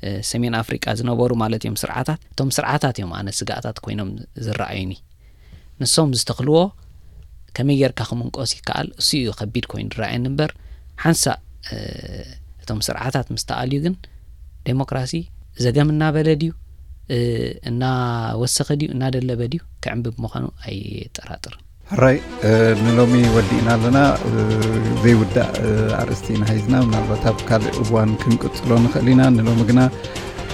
እ፣ ሰሜን ኣፍሪቃ ዝነበሩ ማለት እዮም ስርዓታት። እቶም ስርዓታት እዮም ኣነ ስጋኣታት ኮይኖም ዝረኣዩኒ። ንሶም ዝተኽልዎ ከመይ ጌርካ ክምንቆስ ይከኣል እሱ እዩ ከቢድ ኮይኑ ዝረኣየኒ እምበር ሓንሳእ እ፣ እቶም ስርዓታት ምስ ተኣልዩ ግን ዴሞክራሲ ዘገም እናበለ ድዩ እ፣ እናወሰኸ ድዩ እናደለበ ድዩ ክዕንብብ ምዃኑ ኣይጠራጥርን። ሕራይ እ፣ ንሎሚ ወዲእና ኣለና። እ፣ ዘይውዳእ እ፣ ኣርእስቲ ኢና ሒዝና፣ ምናልባት ኣብ ካልእ እዋን ክንቅጽሎ ንኽእል ኢና። ንሎሚ ግና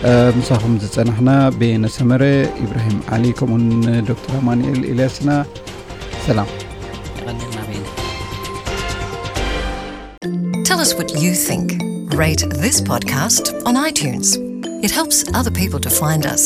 እ፣ ምሳኹም ዝጸናሕና በየነ ሰመረ፣ ኢብራሂም ዓሊ ከምኡን ዶክተር ኣማኑኤል ኤልያስ ኢና። ሰላም። የቐንየልና በየነ። Tell us what you think. Rate this podcast on iTunes. It helps other people to find us.